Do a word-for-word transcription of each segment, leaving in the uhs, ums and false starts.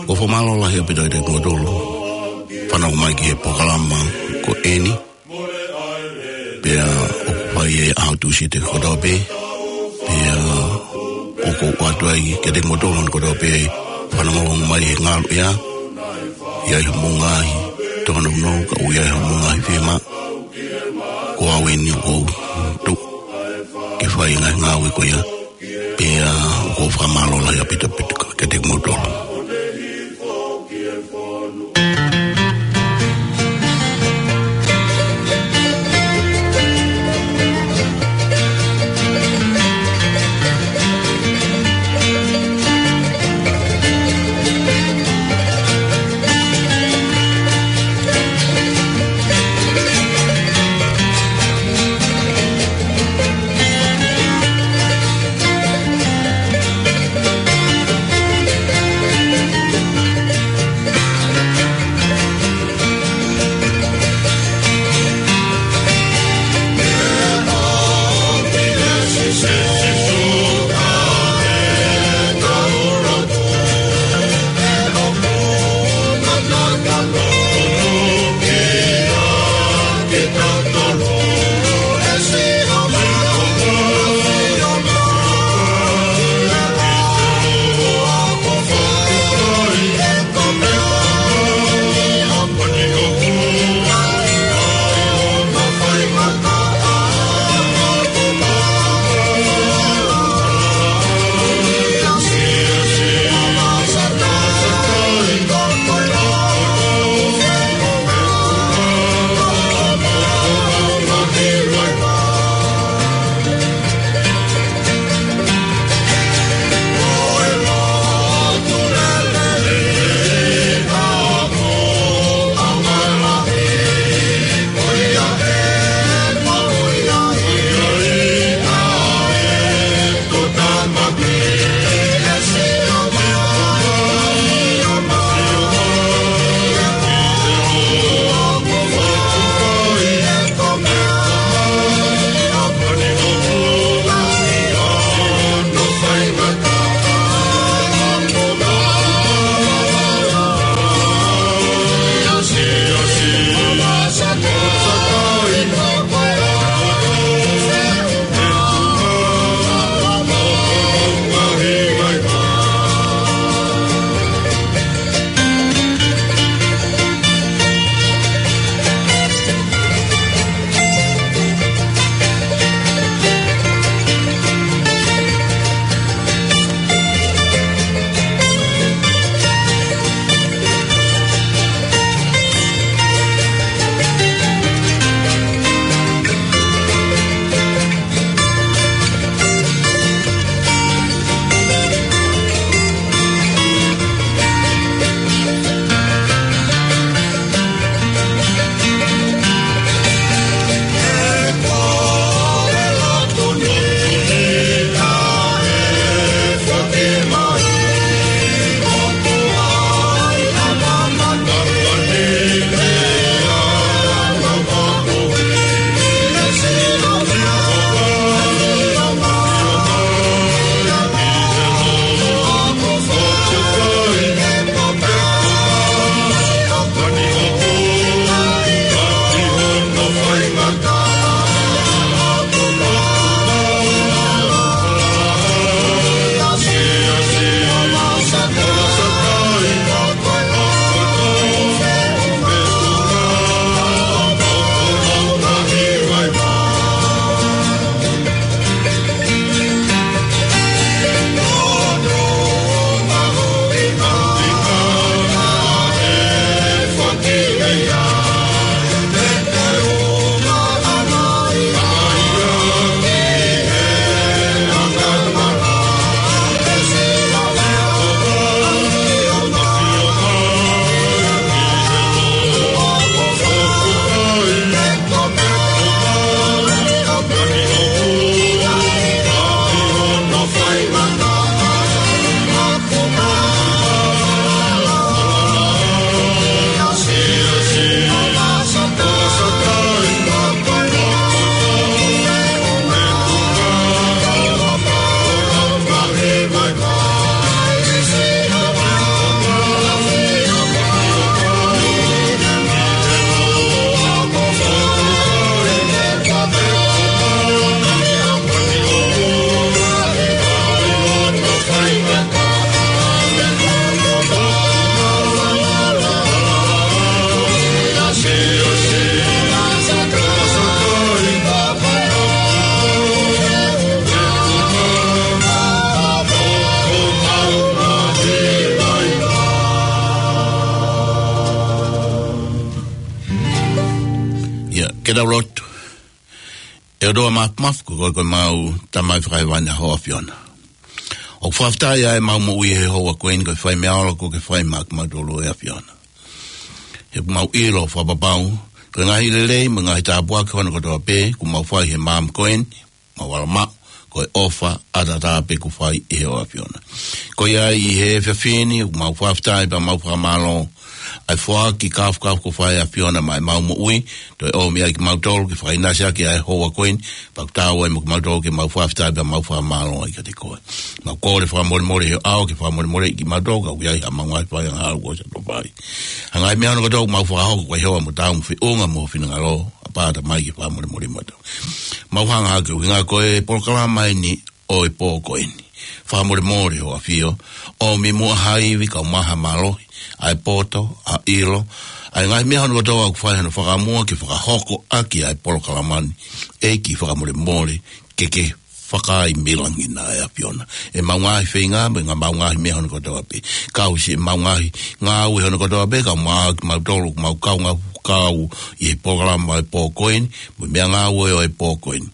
Ko e fakamālō lahi ʻaupito kiate kimoutolu fanongo mai ki he polokalama ko eni. Pea ʻoku fai ʻi he ʻaho Tūsite kotoa pē. Pea ʻoku ou ʻoatu ai kiate kimoutolu kotoa pē fanongo mai he ngalu ia. ʻI ai hoʻomou ngaahi tōnounou, ka ʻoku ʻi ai hoʻomou ngaahi fiemaʻu, ko au eni ʻoku ou tuʻu ke fai e ngaahi ngāue ko ia. Pea ʻoku ou fakamālō lahi ʻaupito kiate kimoutolu. Ke tau lotu. ʻE ʻOtua Māfimafi, ko koe ko ʻemau Tamai Fakahēvani ʻa hoʻo ʻAfiona. ʻOku fakafetaʻi ʻa ʻemau moʻui he houa ko eni, ko e fai meʻa ʻoku ke fai maʻa kimautolu ʻe ʻAfiona. He ʻoku mau ʻilo fakapapau ko e ngaahi lelei mo e ngaahi tāpuaki hono kotoa pē ʻoku mau fai he maama ko eni, mau ala maʻu, ko e ʻofa ʻataʻatā pē ʻoku fai ʻe hoʻo ʻAfiona. Ko ia ai ʻi he efiafi ni, ʻoku mau fakafetaʻi pea mau fakamālō ʻa e foaki kāfukafu ʻoku fai ʻe ʻAfiona maʻa ʻemau moʻui, toe ʻomi ai kimautolu ke fakaʻinasi ʻaki ʻa e houa ko eni, pea ʻoku taau ai mo kimautolu ke mau fakafetaʻi pea mau fakamālō ai kiate koe. Mau kole fakamolemole he ʻao ke fakamolemoleʻi kimautolu, ka ʻoku ʻi ai haʻamau ngaahi fai angahala kuo ʻosi ʻa e fai. ʻA e ngaahi meʻa hono kotoa ʻoku mau fakahoko ko e hoa mo tau mo feʻunga mo finangalo, ʻApā Tamai ke fakamolemole kimautolu. Mau hanga hake ʻuhinga ko e polokalama eni ʻo e pō ko eni. Fakamolemole hoʻo ʻAfio, ʻomi muʻa ha ivi kae ʻumaʻā ha mālohi, ʻa e poto, ʻa e ʻilo, ʻa e ngaahi meʻa hono kotoa ʻoku fai hono fakamua ke fakahoko ʻaki ʻa e polokalama ni, ʻEiki fakamolemole, ke ke fakaimilangina ʻe ʻAfiona ʻemau ngaahi feinga, mo e ngaahi mau ngaahi meʻa hono kotoa pē. Kau siʻemau ngaahi ngāue hono kotoa pē, kae ʻumaʻā kimautolu, mau kaungā kau ʻi he polokalama ʻo e pō ko eni, mo e meʻangāue ʻo e pō ko eni.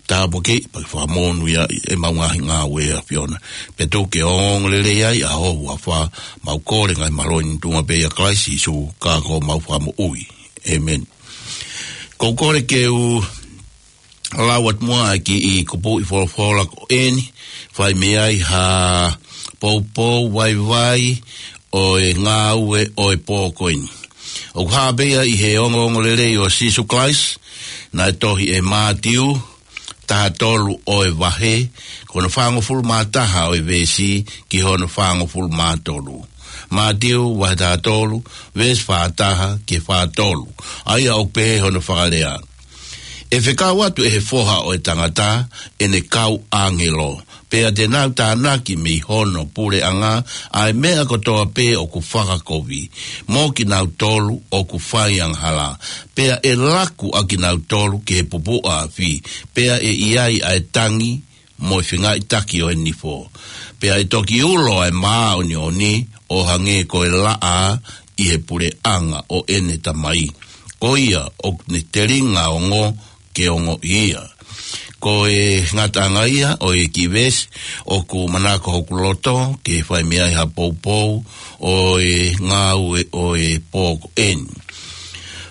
Tāpuakiʻi, pea ke fakamonūʻia ʻemau ngaahi ngāue ʻe ʻAfiona. Pea tuku ke ongoongolelei ai ʻa ho huafa, mau kole ngaahi mālohi ni ʻi he tuʻunga pē ʻia Kalaisi Sīsū, ka ko homau Fakamoʻui. ʻĒmeni. ʻOku ou kole ke u lau atu muʻa ʻa e kiʻi kupuʻi folofola ko eni, fai mei ai ha poupou vaivai ʻo e ngāue ʻo e pō ko eni. ʻOku hā pē ia ʻi he ongoongolelei ʻo Sīsū Kalaisi, naʻe tohi ʻe Mātiu, taha tolu ʻo e vahe, ko hono fāngofulu mā taha ʻo e veesi ki hono fāngofulu mā tolu. Mātiu, vahe taha tolu, veesi fā taha ki he fā tolu. ʻA ia ʻoku pehē hono fakalea: ʻE fekau atu ʻe he Foha ʻo e Tangata ʻene kau ʻāngelo, pea te nau tānaki mei hono puleʻanga ʻa e meʻa kotoa pē ʻoku fakakovi, mo kinautolu ʻoku fai angahala, pea ʻe laku ʻa kinautolu ki he pupuʻa afi, pea ʻe ʻi ai ʻa e tangi mo e fengaiʻitaki ʻo e nifo. Pea ʻe toki ulo ʻa e māʻoniʻoni ʻo hangē ko e laʻā ʻi he puleʻanga ʻo ʻene Tamai. Ko ia ʻoku ne telinga ongo ke ongoʻi ia. Ko e ngataʻanga ia ʻo e kiʻi veesi ʻoku manako hoku loto ke fai mei ai ha poupou ʻo e ngāue ʻo e pō ko eni.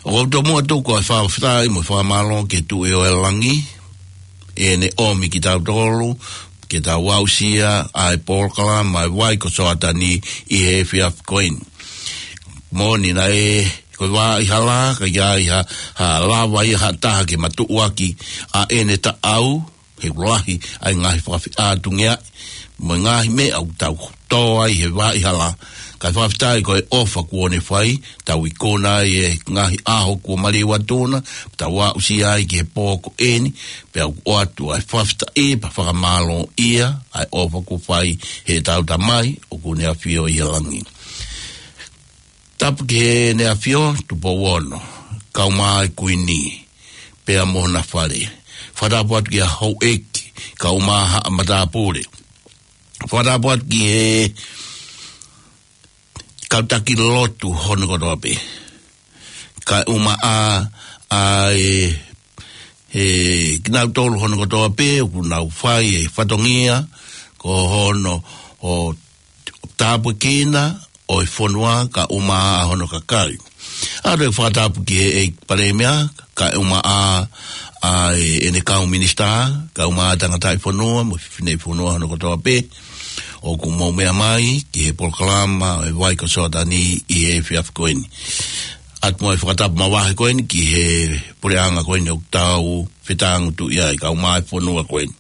ʻOku ou tomuʻa tuku ʻa e fakafetaʻi mo e fakamālō ki he Tuʻi ʻo e langi, ʻene ʻomi kitautolu ke tau aʻusia ʻa e polokalama ʻa e Vai ko Soatani ʻi he efiafi ko eni. Moʻoni naʻe ko e vaʻa hala, ka ʻi ai ha, ha lava ia ha taha ke matuʻuaki ʻa ʻene taʻau, he ʻoku lahi ʻa e ngaahi fakafeʻātungia mo e ngaahi meʻa ʻoku tau tō ai he vaʻa hala. Kae fakafetaʻi ko e ʻofa kuo ne fai, tau ikuna ai e ngaahi ʻaho kuo maliu atu na, tau aʻusia ai ki he pō ko eni, pea ʻoku ʻoatu ʻa e fakafetaʻi pea fakamālōʻia ʻa e ʻofa kuo fai heʻetau Tamai ʻoku ne ʻafio ʻi he langi. Tapu ki heʻene ʻAfio, Tupou Ono, kae ʻumaʻā e Kuini, pea mo hona fale. Fakatapu atu ki he houʻeiki, kae ʻumaʻā haʻa matāpule. Fakatapu atu ki he kau taki lotu hono kotoa pē. Kae ʻumaʻā ʻa e, ʻe kinautolu hono kotoa pē ʻoku nau fai e fatongia ko hono ʻo tāpuekina ʻo e fonua kae ʻumaʻā hono kakai. ʻOatu e fakatapu ki he ʻEiki Palēmia, kae ʻumaʻā ʻa e, ʻene kau minisitā, kae ʻumaʻā tangataʻi fonua mo e fineʻi fonua hono kotoa pē ʻoku mou meʻa mai ki he polokalama ʻo e Vai ko Soatani ʻi he efiafi ko eni. ʻOatu mo e fakatapu mavahe ko eni ki he puleʻanga ko eni ʻoku tau fetāngutuʻi ai, kae ʻumaʻā e fonua ko eni.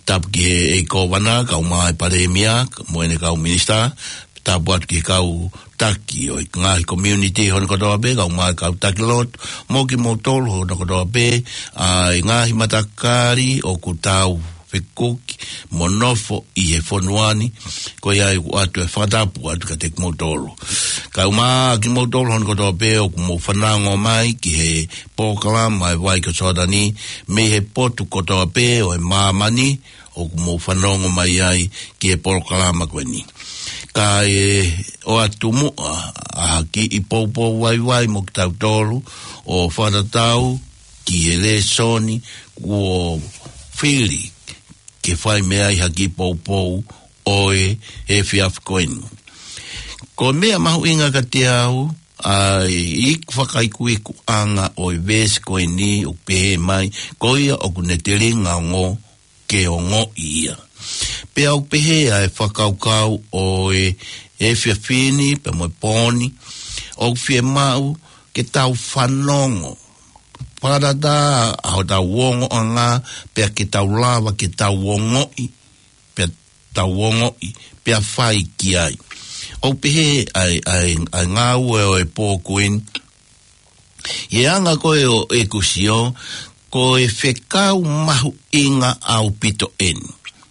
Tapu ki he ʻEiki Kōvana, kae ʻumaʻā e Palēmia mo ʻene kau minisitā. Tapu atu ki he kau taki ʻo e ngaahi community hono kotoa pē, kae ʻumaʻā e kau taki lotu, mo kimoutolu hono kotoa pē, ʻa e ngaahi matakali ʻoku tau fekuki mo nofo ʻi he fonua ni. Ko ia ai ʻoku ʻoatu e fakatapu atu kiate kimoutolu. Kae ʻumaʻā kimoutolu hono kotoa pē ʻoku mou fanongo mai ki he polokalama ʻa e Vai ko Soatani mei he potu kotoa pē ʻo e māmani, ʻoku mou fanongo mai ai ki he polokalama ko eni. Kae ʻoatu muʻa ʻa e kiʻi poupou vaivai mo kitautolu ʻo fakatatau ki he lēsoni kuo fili ke fai mei ai ha kiʻi poupou ʻo e efiafi ko eni. Ko e meʻa mahuʻinga kiate au ʻa e iku fakaikuikuʻanga ʻo e veesi ko eni ʻoku pehē mai, ko ia ʻoku ne telinga ongo ke ongoʻi ia. Pea ʻoku pehē ʻa e fakakaukau ʻo e efiafi ni pea mo e pō ni, ʻoku fiemaʻu ke tau fanongo fakataha ʻa hotau ongoʻanga, pea ke tau lava ke tau ongoʻi, pea tau ongoʻi, pea fai ki ai. ʻOku pehē ʻa e, ʻa e, ʻa e ngāue ʻo e pō ko eni, ʻi he anga ko ē ʻo ʻeku sio, ko e fekau mahuʻinga ʻaupito eni.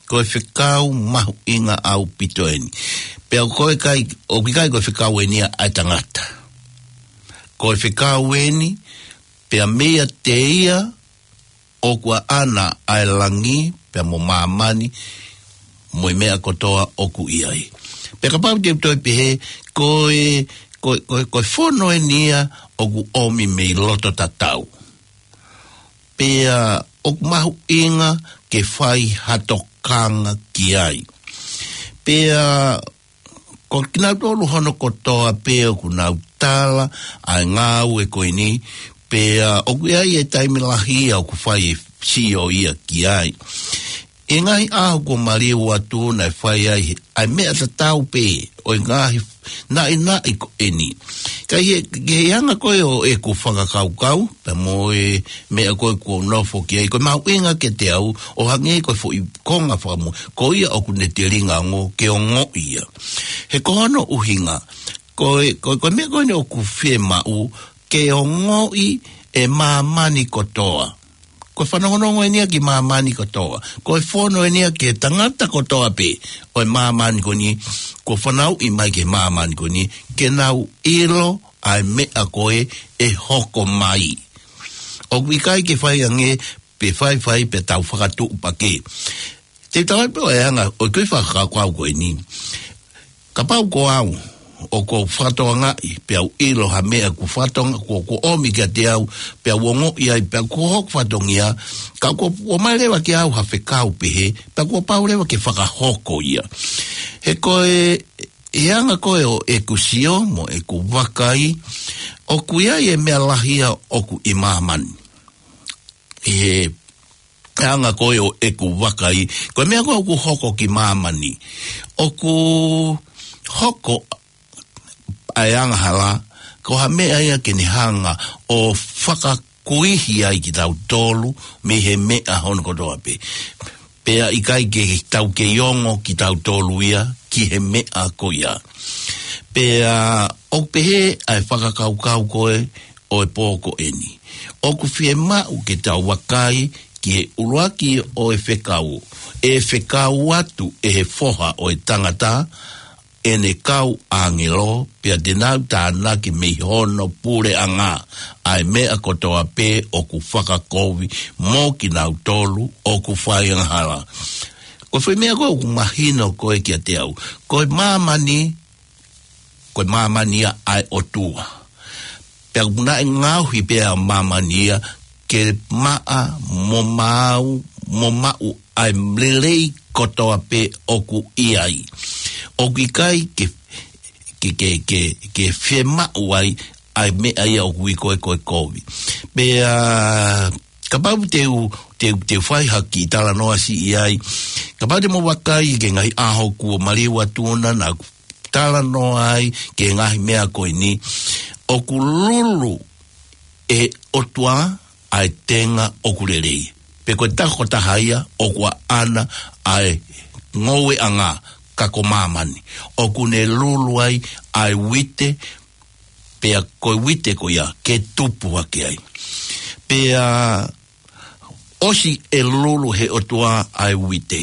Ko e fekau mahuʻinga ʻaupito eni. Pea ʻoku ʻikai, ʻoku ʻikai ko e fekau eni ia ʻa e tangata. Ko e fekau eni, pea meiate ia ʻoku ʻaʻana ʻa e langi, pea mo māmani, mo e meʻa kotoa ʻoku ʻi ai. Pea kapau te u toe pehē, ko e, ko, ko, ko e fono eni ia ʻoku ʻomi mei loto tatau. Pea ʻoku mahuʻinga ke fai ha tokanga ki ai. Pea ko kinautolu hono kotoa pē ʻoku nau tala ʻa e ngāue ko eni, pea ʻoku ʻi ai e taimi lahi ia ʻoku fai e sio ia ki ai. ʻI he ngaahi ʻaho kuo maliu atu naʻe fai ai ʻa e meʻa tatau pē ʻo e ngaahi naʻinaʻi ko eni. Ka ʻi he, ʻi he anga ko ē ʻo ʻeku fakakaukau, pea mo e meʻa ko ē kuo u nofo ki ai, ko e mahuʻinga kiate au, ʻo hangē ko e foʻi konga fakamuʻa, ko ia ʻoku ne telinga ongo ke ongoʻi ia. He ko hono ʻuhinga, ko e, ko, ko e meʻa ko eni ʻoku fiemaʻu ke ongoʻi ʻe māmani kotoa. Ko e fanongonongo eni ia ki māmani kotoa. Ko e fono eni ia ki he tangata kotoa pē ʻo e māmani ko eni, kuo fanauʻi mai ki he māmani ko eni, ke nau ʻilo ʻa e meʻa ko ē ʻe hoko mai. ʻOku ʻikai ke fai ange pe faifai pe tau fakatuʻupakē. Te u tala pē ʻa e anga ʻo e kiʻi fakakaukau ko eni. Kapau ko au, ʻoku ou fakatokangaʻi, pea u ʻilo ha meʻa kuo fakatonga, kuo, kuo ʻomi kiate au, pea u ongoʻi ai, pea kuo hoku fatongia, ka kuo, kuo ʻomai leva kiate au ha fekau pehē, pea kuo pau leva ke fakahoko ia. He ko e, ʻi he anga ko ē ʻo ʻeku sio mo ʻeku vakai, ʻoku ʻi ai e meʻa lahi ia ʻoku ʻi māmani. ʻI he anga ko ē ʻo ʻeku vakai, ko e meʻa ko ē ʻoku hoko ki māmani, ʻoku hoko ʻa e angahala, ko ha meʻa ia ke ne hanga ʻo fakakuihi ai kitautolu mei he meʻa hono kotoa pē. Pea ʻikai ke tau kei ongo kitautolu ia ki he meʻa ko ia. Pea ʻoku pehē ʻa e fakakaukau ko ē ʻo e pō ko eni. ʻOku fiemaʻu ke tau vakai ki he ʻuluaki ʻo e fekau. ʻE fekau atu ʻe he Foha ʻo e Tangata ʻene kau ʻāngelo, pea te nau tānaki mei hono puleʻanga ʻa e meʻa kotoa pē ʻoku fakakovi mo kinautolu ʻoku fai angahala. Ko e foʻi meʻa ko ē ʻoku mahino ko ē kiate au, ko e māmani, ko e māmani ia ʻa e ʻOtua. Pea ʻoku naʻe ngaohi pē ʻa māmani ia ke maʻa mo maʻu, mo maʻu ʻa e lelei kotoa pē ʻoku ʻi ai. ʻOku ʻikai ke, ke, ke, ke, ke fiemaʻu ai ʻa e meʻa ia ʻoku ui ko ē ko e kovi. Pea, kapau te u, te u, te u fai ha kiʻi talanoa siʻi ai. Kapau te mou vakai ki he ngaahi ʻaho kuo maliu atu na, naʻa ku talanoa ai ki he ngaahi meʻa ko eni. ʻOku lulu ʻe he ʻOtua ʻa e tenga ʻoku lelei. Pe ko e taha ko taha ia ʻoku ʻaʻana ʻa e ngoueʻanga, ka ko māmani. ʻOku ne lulu ai ʻa e uite, pea ko e uite ko ia ke tupu hake ai. Pea ʻosi ʻe lulu ʻe he ʻOtua ʻa e uite.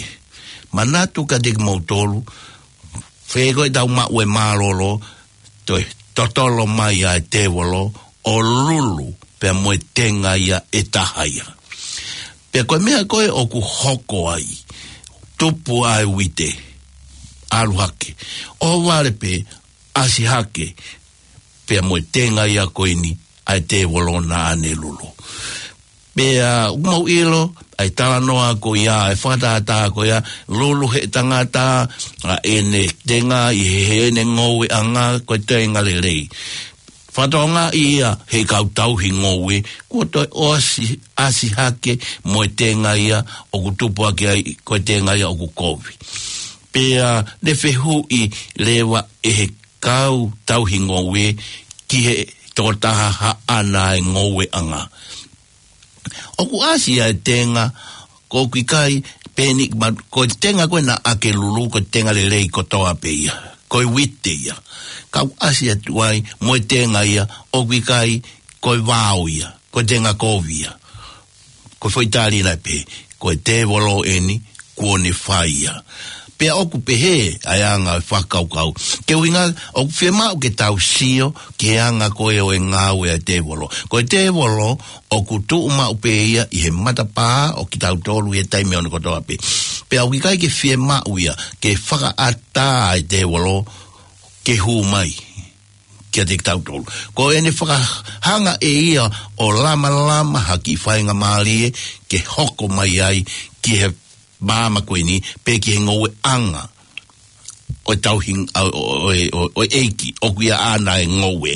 Manatu kiate kimoutolu, fē ko ʻetau maʻu e mālōlō, toe totolo mai ʻa e tēvolo ʻo lulu pea mo e tenga ia ʻe taha ia. Pea ko e meʻa ko ē ʻoku hoko ai, tupu ʻa e uite, ʻalu hake, ʻohovale pē, ʻasi hake, pea mo e tenga ia ko eni ʻa e tēvolo naʻa ne lulu. Pea ʻoku mau ʻilo ʻa e talanoa ko ia, ʻa e fakatātā ko ia, lulu he tangata ʻa ʻene tenga ʻi he, heʻene ngoueʻanga, ko e tenga lelei. Fakatokangaʻi ia he kau tauhi ngoue, kuo toe ʻosi ʻasi hake mo e tenga ia ʻoku tupu hake ai, ko e tenga ia ʻoku kovi. Pea ne fehuʻi leva ʻe he kau tauhi ngoue ki he tokotaha haʻana e ngoueʻanga, ʻoku ʻasi ʻa e tenga, ko ʻoku ʻikai peni ma, ko e tenga ko ē naʻa ke lulu, ko e tenga lelei kotoa pē ia, ko e uite ia. Ka ʻoku ʻasi atu ai mo e tenga ia ʻoku ʻikai, ko e vao ia, ko e tenga kovi ia. Ko e foʻi tali naʻe pehē, ko e tēvolo eni, kuo ne fai ia. Pea ʻoku pehē ʻa e anga e fakakaukau. Ko e ʻuhinga, ʻoku fiemaʻu ke tau sio ki he anga ko ē ʻo e ngāue ʻa e tēvolo. Ko e tēvolo ʻoku tuʻu maʻu pē ia ʻi he matapā ʻo kitautolu ʻi he taimi ʻo ne kotoa pē. Pea ʻoku ʻikai ke fiemaʻu ia ke fakaʻatā ʻa e tēvolo ke hū mai kiate kitautolu. Ko ʻene fakahanga ʻe ia ʻo lamalama ha kiʻi faingamālie ke hoko mai ai ki he māmani ko eni, pe ki he ngoueʻanga ʻo e tauhi, ʻo, ʻo, ʻo, ʻo, ʻo e ʻEiki, ʻoku ʻia ʻana e ngoue.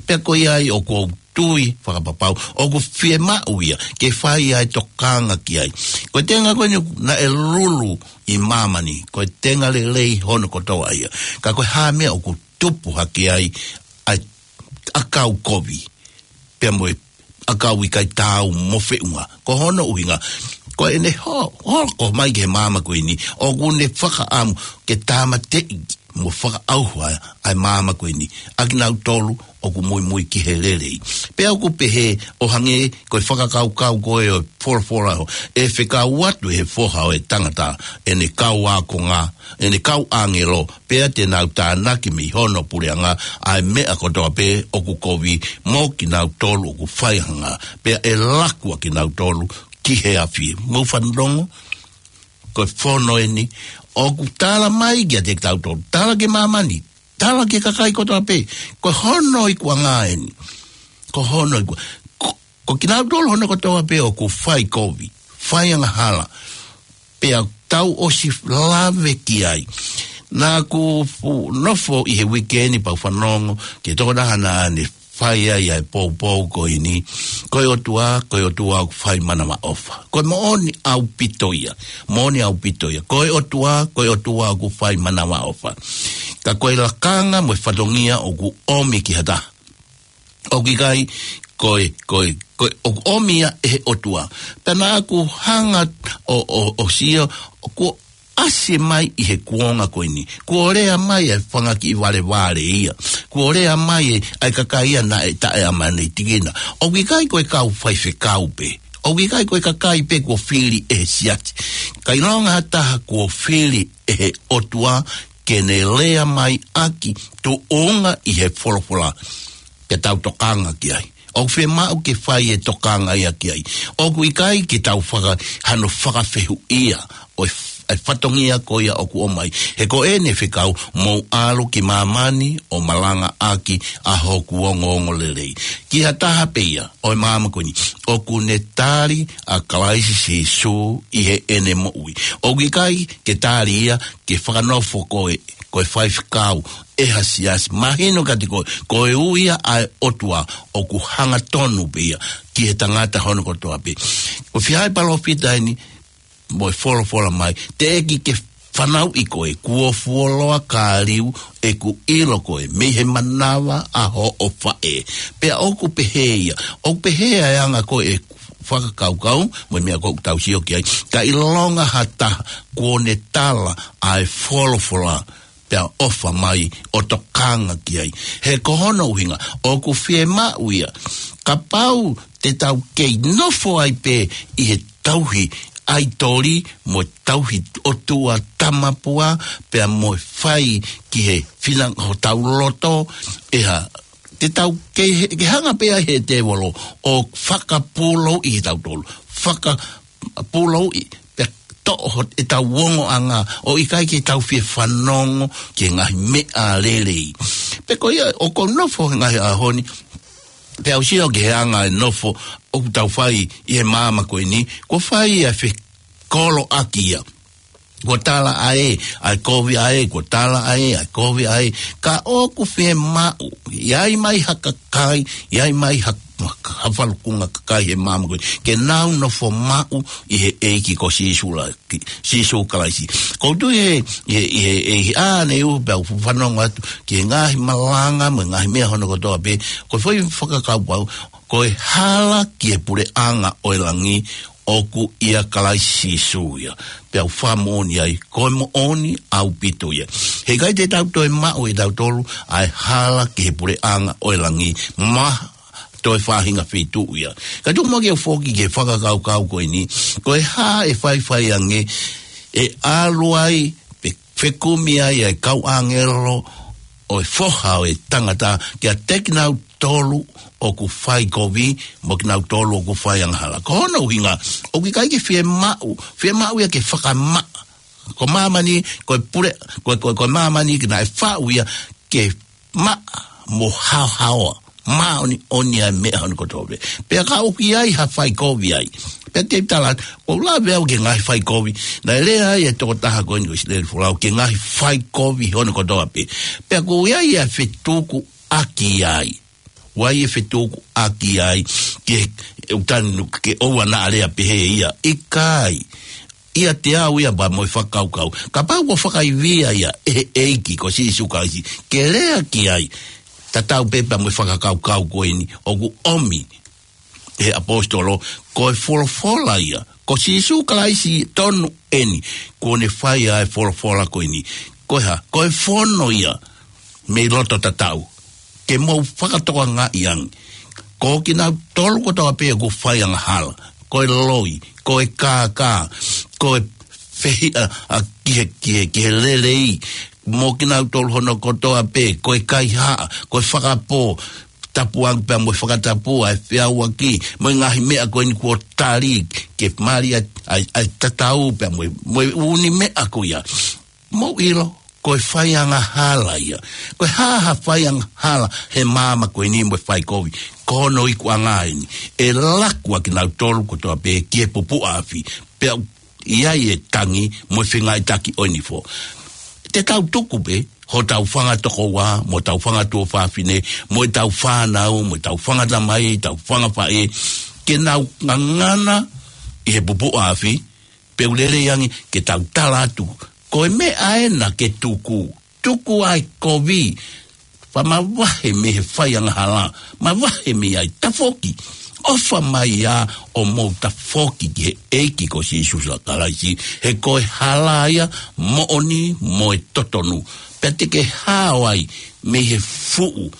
Pea ko ia ai ʻoku ou tui fakapapau ʻoku fiemaʻu ia ke fai ʻa e tokanga ki ai. Ko e tenga ko eni naʻe lulu ʻi māmani, ko e tenga lelei hono kotoa ia. Ka ko e hā e meʻa ʻoku tupu hake ai ʻa e ʻakau kovi, pea mo e ʻakau ʻikai taau mo feʻunga? Ko hono ʻuhinga, ko ʻene ho-, hoko mai ki he māmani ko eni, ʻoku ne fakaʻamu ke tāmateʻi mo fakaʻauha ʻa e māmani ko eni ʻa kinautolu ʻoku muimui ki he lelei. Pea ʻoku pehē, ʻo hangē ko e fakakaukau ko ē ʻo e folofola, ʻe fekau atu ʻe he Foha ʻo e tangata ʻene kau ākonga, ʻene kau ʻāngelo, pea te nau tānaki mei hono puleʻanga ʻa e meʻa kotoa pē ʻoku kovi mo kinautolu ʻoku faihanga, pea ʻe laku ʻa kinautolu ki he afi. Mou fanongo, ko e fono eni ʻoku tala mai kiate kitautolu, tala ki māmani, tala ki he kakai kotoa pē. Ko hono ikuʻanga eni. Ko hono iku-, ko, ko kinautolu hono kotoa pē ʻoku fai kovi, fai angahala, pea tau ʻosi lave ki ai. Naʻa ku fu-, nofo ʻi he uike ni pea u fanongo ki he tokotaha naʻa ne fai ai ʻa e poupou ko eni, ko e ʻOtua, ko e ʻOtua ʻoku fai manavaʻofa. Ko e moʻoni ʻaupito ia, moʻoni ʻaupito ia. Ko e ʻOtua, ko e ʻOtua ʻoku fai manavaʻofa. Ka ko e lakanga mo e fatongia ʻoku ʻomi ki ha taha. ʻOku ʻikai, ko e, ko e, ko e, ʻoku ʻomi ia ʻe he ʻOtua. Pea naʻa ku hanga ʻo, ʻo, ʻo sio, ʻoku ʻasi mai ʻi he kuonga ko eni. Kuo lea mai ʻa e fanga kiʻi valevale ia. Kuo lea mai ʻa e, ʻa e kakai ia naʻe taʻeʻamanekina. ʻOku ʻikai ko e kau faifekau pē. ʻOku ʻikai ko e kakai pē kuo fili ʻe he siasi. Ka ʻilonga ha taha kuo fili ʻe he ʻOtua ke ne lea mai ʻaki tuʻunga ʻi he folofola, ke tau tokanga ki ai. ʻOku fiemaʻu ke fai e tokanga ia ki ai. ʻOku ʻikai ke tau faka-, hano fakafehuʻia ʻo e f-, e fatongia ko ia ʻoku ʻomai. He ko ʻene fekau, mou ʻalu ki māmani ʻo malangaʻaki ʻa hoku ongoongolelei. Ki ha taha pē ia ʻo e māmani ko eni, ʻoku ne tali ʻa Kalaisi Sīsū ʻi heʻene moʻui. ʻOku ʻikai ke tali ia ke fakanofo ko e, ko e faifekau ʻe ha siasi. Mahino kiate koe, ko e ui ia ʻa e ʻOtua ʻoku hangatonu pē ia ki he tangata hono kotoa pē. Ko e fiha e palōfita eni mo e folofola mai, teʻeki ke fanauʻi koe, kuo fuoloa ka liu ʻeku ʻilo koe mei he manava ʻa hoʻo faʻē. Pea ʻoku pehē ia, ʻoku pehē ʻa e anga ko ē fakakaukau mo e meʻa ko ē ʻoku tau sio ki ai. Ka ʻilonga ha taha kuo ne tala ʻa e folofola, pea ʻofa mai ʻo tokanga ki ai. He ko hono ʻuhinga, ʻoku fiemaʻu ia, kapau te tau kei nofo ai pē ʻi he tauhi ʻaitoli mo e tauhi ʻotua tamapua, pea mo e fai ki he fina hotau loto, ʻe ha, te tau kei he, ke hanga pē ʻa e tēvolo ʻo fakapūlouʻi kitautolu. Faka- pūlouʻi, pea toʻo hot-, ʻetau ongoʻanga, ʻo ʻikai ke tau fie fanongo ki he ngaahi meʻa lelei. Pea ko ia, ʻoku ou nofo he ngaahi ʻaho ni, Pea u sio ki he anga e nofo ʻoku tau fai ʻi he māmani ko eni, kuo fai ʻa e fekoloʻaki ia. Kuo tala ʻa e, ʻa e kovi ʻa e, kuo tala ʻa e, ʻa e kovi ʻa e. Ka ʻoku fiemaʻu, ʻi ai mai ha kakai, ʻi ai mai ha, ha falukunga kakai he māmani ko eni, ke nau nofo maʻu ʻi he ʻEiki ko Sīsū la, ki, Sīsū Kalaisi. Ko u tui he, he, he, he, he ʻaneuhu pea u fanongo atu ki he ngaahi malanga mo e ngaahi meʻa hono kotoa pē, ko e foʻi fakakaukau, ko e hala ki he puleʻanga ʻo e langi ʻoku ʻia Kalaisi Sīsū ia. Pea u fakamoʻoni ai, ko e moʻoni ʻaupito ia. He ʻikai te tau toe maʻu ʻe tautolu ʻa e hala ki he puleʻanga ʻo e langi, ma toe faʻahinga feituʻu ia. Ka tuku muʻa ke u foki ki he fakakaukau ko eni, ko e hā ʻe faifai ange, ʻe ʻalu ai, pe fekumi ai ʻa e kau ʻāngelo ʻo e Foha ʻo e Tangata kiate kinautolu ʻoku fai kovi, mo kinautolu ʻoku fai angahala. Ko hono ʻuhinga, ʻoku ʻikai ke fiemaʻu, fiemaʻu ia ke fakamaʻa. Ko māmani, ko e pule, ko, ko, ko māmani ke naʻe faʻu ia ke maʻa mo haohaoa, māʻoniʻoni ʻa e meʻa hono kotoa pē. Pea ka ʻoku ʻi ai ha fai kovi ai. Pea te u tala, ʻoku ou lave au ki he ngaahi fai kovi. Naʻe lea ai e tokotaha ko eni ko Isileli Folau ki he ngaahi fai kovi hono kotoa pē. Pea ʻoku ʻi ai ʻa e fetukuʻaki ai. ʻOku ʻi ai e fetukuʻaki ai, ke, ʻe u tanu ke ʻoua naʻa lea pehē ia. ʻIkai. ʻIate au ia pea mo e fakakaukau. Kapau ʻoku fakaivia ia ʻe he ʻEiki ko Sīsū Kalaisi, ke lea ki ai. Tatau pē pea mo e fakakaukau ko eni, ʻoku ʻomi ʻe he ʻaposetolo, ko e folofola ia. Ko Sīsū Kalaisi tonu eni, kuo ne fai ʻa e folofola ko eni. Ko e hā, ko e fono ia, mei loto tatau. Ke mou fakatokangaʻi ange. Ko kinautolu kotoa pē ʻoku fai angahala. Ko e loi, ko e kākā, ko e fehiʻa ʻa ki he, ki he, ki he lelei. Mo kinautolu hono kotoa pē, ko e kaihaʻa, ko e fakapō, tapu ange pea mo e fakatapu ʻa e feʻauaki, mo e ngaahi meʻa ko eni kuo tali, ke mali ʻa e, ʻa e, ʻa e tatau pea mo e, mo e ʻū meʻa ko ia. Mou ʻilo, ko e fai angahala ia. Ko e hā ha fai angahala he māmani ko eni mo e fai kovi. Ko hono ikuʻanga eni. ʻE laku ʻa kinautolu kotoa pē ki he pupuʻa afi. Pea ʻi ai e tangi mo e fengaiʻitaki ʻo e nifo. Te tau tuku pē, hotau fanga tokoua, mo hotau fanga tuofāfine, mo ʻetau fānau, mo ʻetau fanga tamai, ʻetau fanga faʻē, ke nau ngangana ʻi he pupuʻa afi, pea u lelei ange ke tau tala atu. Ko e meʻa ena ke tuku, tuku ʻa e kovi, pea mavahe mei he fai angahala, mavahe mei ai, tafoki. ʻOfa mai ā ʻo mou tafoki ki he ʻEiki ko Sīsū Kalaisi, he ko e hala ia, moʻoni mo e totonu. Pea te ke hao ai mei he fuʻu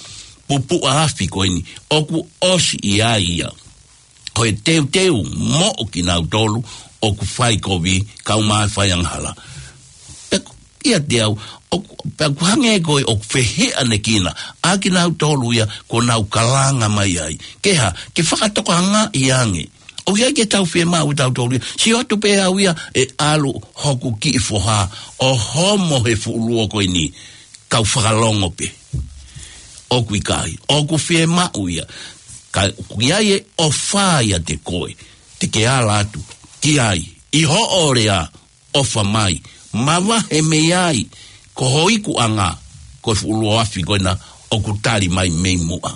pupuʻa afi ko eni, ʻoku ʻosi ʻi ai ia. Ko e teuteu moʻo kinautolu ʻoku fai kovi, kau mai fai angahala. Pea ʻiate au, ʻoku, pea ʻoku hangē ko e ʻoku fehiʻanekina ʻa kinautolu ia kuo nau kalanga mai ai. Ke hā, ke fakatokangaʻi ange. ʻOku ʻi ai ke tau fiemaʻu tautolu ia. Sio atu pē au ia ʻe ʻalu hoku kiʻi foha ʻo homo he fuʻu luo ko eni. Kau fakalongo pē. ʻOku ʻikai, ʻoku fiemaʻu ia. Ka ʻoku ʻi ai e ʻofa ʻiate koe. Te ke ala atu ki ai. ʻI hoʻo lea, ʻofa mai. Mavahe mei ai. Ko ho ikuʻanga, ko e fuʻu luo afi ko ena ʻoku tali mai mei muʻa.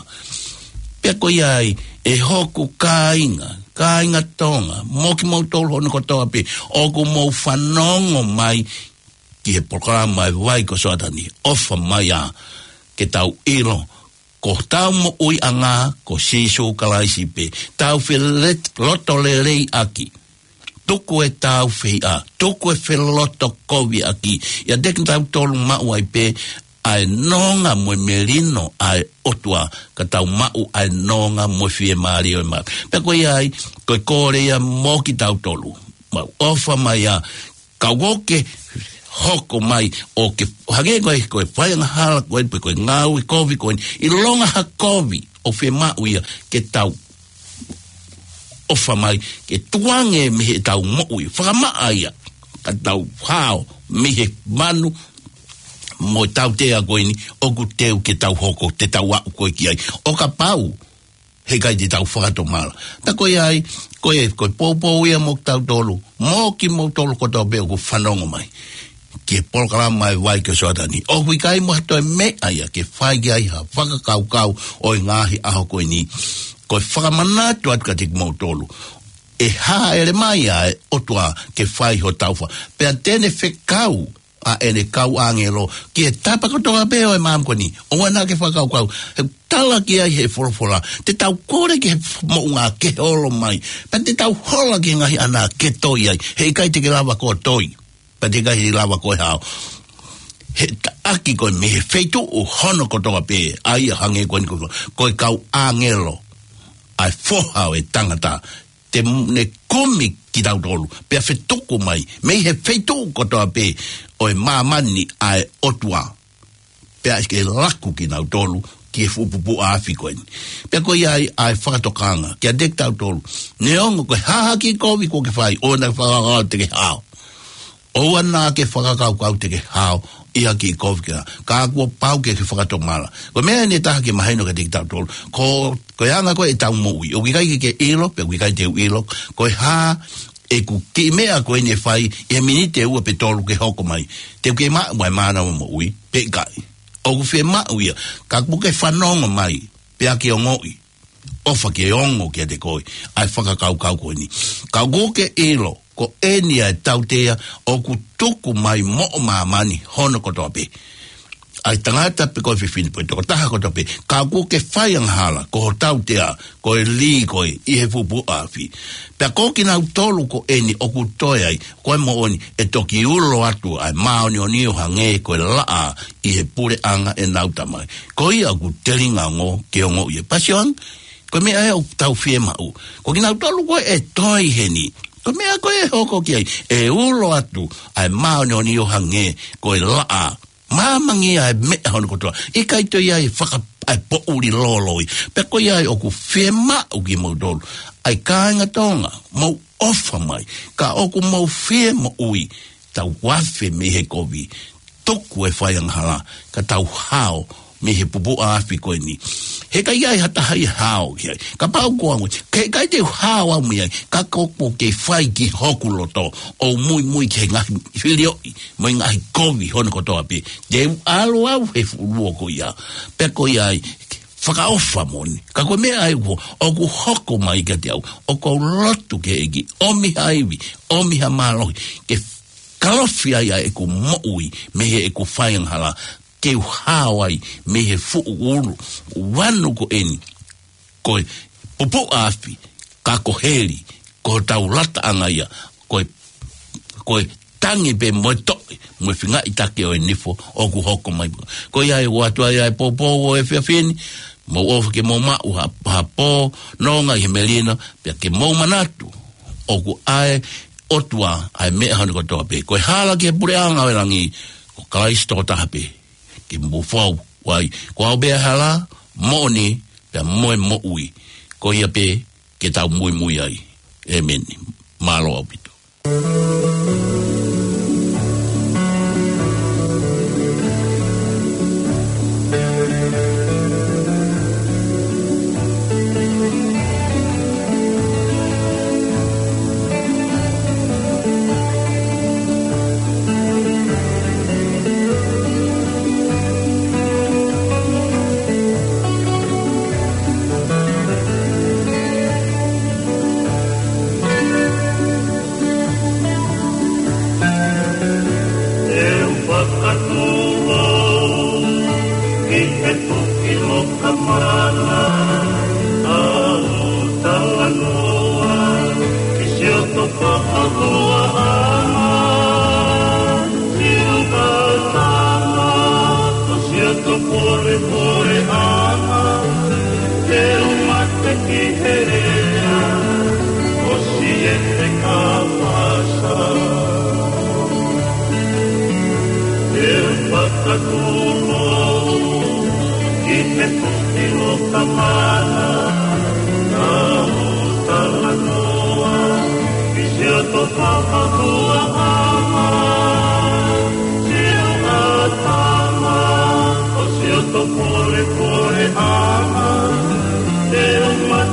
Pea ko ia ai, ʻe hoku kāinga, kāinga Tonga, mo kimoutolu hono kotoa pē, ʻoku mou fanongo mai ki he polokalama ʻa e Vai ko Soatani, ʻofa mai ā, ke tau ʻilo, ko hotau moʻuiʻanga, ko Sīsū Kalaisi pē, tau fele-, loto lelei ʻaki. Tuku ʻetau fehiʻa, tuku e felotokoviʻaki, ʻiate kitautolu maʻu ai pē, ʻa e nonga mo e melino ʻa e ʻOtua, ka tau maʻu ʻa e nonga mo e fiemālie ʻo e mā. Pea ko ia ai, ko e kole ia mo kitautolu. Mau ʻofa mai ā, ka ʻoku ke hoko mai ʻo ke hangē ko e, ko e fai angahala ko eni pe ko e ngāue kovi ko eni, ʻilonga ha kovi ʻoku fiemaʻu ia ke tau ʻofa mai, ke tukuange mei heʻetau moʻui, fakamaʻa ia, ka tau hao mei he manu mo e tautea ko eni, ʻoku teu ke tau hoko, te tau aʻu ko ē ki ai. ʻO kapau heʻikai te tau fakatomala. Pea ko ia ai, ko e, ko e poupou ia mo kitautolu, mo kimoutolu kotoa pē ʻoku fanongo mai ki he polokalama ʻa e Vai ki he Sioatani. ʻOku ʻikai mo ha toe meʻa ia ke fai ki ai ha fakakaukau ʻo e ngaahi ʻaho ko eni. Ko e fakamanatu atu kiate kimoutolu, ʻe hāʻele mai ʻa e ʻOtua ke fai ho taufa. Pea te ne fekau ʻa ʻene kau ʻāngelo ki he tapa kotoa pē ʻo e māmani ko eni. ʻOua naʻa ke fakakaukau, he tala ki ai he folofola, te tau kole ki he moʻunga ke holo mai. Pea te tau hola ki he ngaahi ʻana ke toi ai. Heʻikai te ke lava koe ʻo toi. Pea te ke ʻikai lava koe ʻo hao. He taʻaki koe mei he feituʻu hono kotoa pē, ʻa ia hangē ko eni ko, ko e kau ʻāngelo ʻa e Foha ʻo e tangata, te ne kumi kitautolu, pea fetuku mai mei he feituʻu kotoa pē ʻo e māmani ʻa e ʻOtua. Pea ke laku kinautolu ki he fuʻu pupuʻa afi ko eni. Pea ko ia ai ʻa e fakatokanga kiate kitautolu. Neongo ko e hā ha kiʻi kovi kuo ke fai, ʻoua naʻa ke fakakaukau te ke hao. ʻOua naʻa ke fakakaukau te ke hao ʻi ha kiʻi kovi ke hao. Ka kuo pau ke ke fakatomala. Ko e meʻa eni ʻe taha ke mahino kiate kitautolu. Ko, ko e anga ko ē ʻetau moʻui, ʻoku ʻikai ke ke ʻilo, pea ʻoku ʻikai te u ʻilo ko e hā ʻeku kiʻi meʻa ko eni ʻe fai ʻi he miniti ʻe ua pe tolu ke hoko mai. Te u kei maʻu ʻa e mānava moʻui pe ʻikai? ʻOku fiemaʻu ia, ka kuo ke fanongo mai, pea ke ongoʻi, ʻofa ke ongo kiate koe ʻa e fakakaukau ko eni. Ka kuo ke ʻilo, ko eni ʻa e tautea ʻoku tuku mai moʻo māmani hono kotoa pē. ʻA e tangata pe ko e fefine pe ko e tokotaha kotoa pē, ka kuo ke fai angahala, ko ho tautea ko e lī ko ē ʻi he fuʻu pupuʻa afi. Pea ko kinautolu ko eni ʻoku toe ai, ko e moʻoni, ʻe toki ulo atu ʻa e māʻoniʻoni ʻo hangē ko e laʻā ʻi he puleʻanga ʻenau Tamai. Ko ia ʻoku telinga ongo ke ongoʻi ia. Pea sio ange, ko e meʻa ē ʻoku tau fiemaʻu. Ko kinautolu ko ē ʻe toe heni, ko e meʻa ko ē ʻe hoko ki ai, ʻe ulo atu ʻa e māʻoniʻoni ʻo hangē ko e laʻā. Māmani ʻa e meʻa hono kotoa. ʻIkai toe ʻi ai e faka-, ʻa e poʻuli loloi. Pea ko ia ai ʻoku fiemaʻu kimoutolu, ʻa e kāinga Tonga, mou ʻofa mai. Ka ʻoku mou fie moʻui, tau afe mei he kovi. Tuku e fai angahala, ka tau hao mei he pupuʻa afi ko eni. Heʻikai ʻi ai ha taha ʻe hao ki ai. Kapau ko au, heʻikai te u hao au mei ai, ka ko, ko ke fai ki hoku loto, ʻo muimui ki he ngaahi filioʻi mo e ngaahi kovi hono kotoa pē. Te u ʻalu au he fuʻu luo ko ia. Pea ko ia ai, fakaʻofa moʻoni. Ka ko e meʻa ē ʻoku, ʻoku hoko mai kiate au, ʻoku ou lotu ki he ʻEiki, ʻomi ha ivi, ʻomi ha mālohi, ke kalofi ai ʻa ʻeku moʻui mei heʻeku fai angahala, ke u hao ai mei he fuʻu ulu vanu ko eni, ko e pupuʻa afi, ka ko heli, ko hotau lataʻanga ia, ko e, ko e tangi pē mo e toʻe, mo e feingaʻi take ʻo e nifo ʻoku hoko mai. Ko ia ai ʻoku ʻoatu ai ʻa e poupou ʻo e efiafi ni, mou ʻofa ke mou maʻu ha, ha pō nonga ʻi he melino, pea ke mou manatu, ʻoku ʻa e ʻOtua ʻa e meʻa hono kotoa pē. Ko e hala ki he puleʻanga ʻo e langi, ko Kalaisi tokotaha pē. Ke mou fou ai. Ko au pē ʻa e hala, moʻoni, pea mo e moʻui. Ko ia pē ke tau muimui ai. ʻĒmeni. Mālō ʻaupito. Te u fakatū ki he tuki loka mana, ʻa ʻoku talanoa ki siʻoto fakahuaʻanga, siʻoto tama, ko siʻoto polepoleʻanga, te u mate ki he lea ʻo siʻete kāpasa. Te u fakatū ki he tuki loka mana, ʻa ʻoku talanoa ki siʻoto fakahuaʻanga, siʻoto tama, ko siʻoto polepoleʻanga, te u mate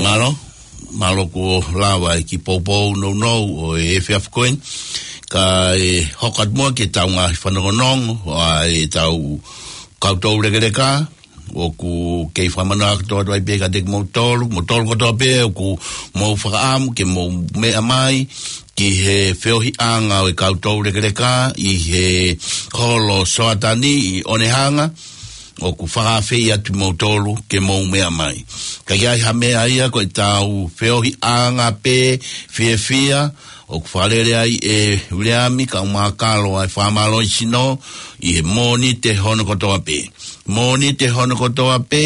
Mālō, mālō kuo lava e kiʻi poupou nounou ʻo e efiafi ko eni. Kae hoko atu muʻa ki heʻetau ngaahi fanongonongo ʻa ʻetau kau toulekeleka. ʻOku kei fakamanatu atu ai pē kiate kimoutolu, moutolu kotoa pē ʻoku mou fakaʻamu ke mou meʻa mai ki he feohiʻanga ʻo e kau toulekeleka ʻi he holo Soatani ʻi ʻOnehanga. ʻOku fakaafeʻi atu kimoutolu ke mou meʻa mai. Ka ʻi ai ha meʻa ia ko ʻetau feohiʻanga pē fiefia, ʻoku fakalele ai ʻe Uleami Kaumākalo ʻa e fakamālohisino ʻi he Mōnite hono kotoa pē. Mōnite hono kotoa pē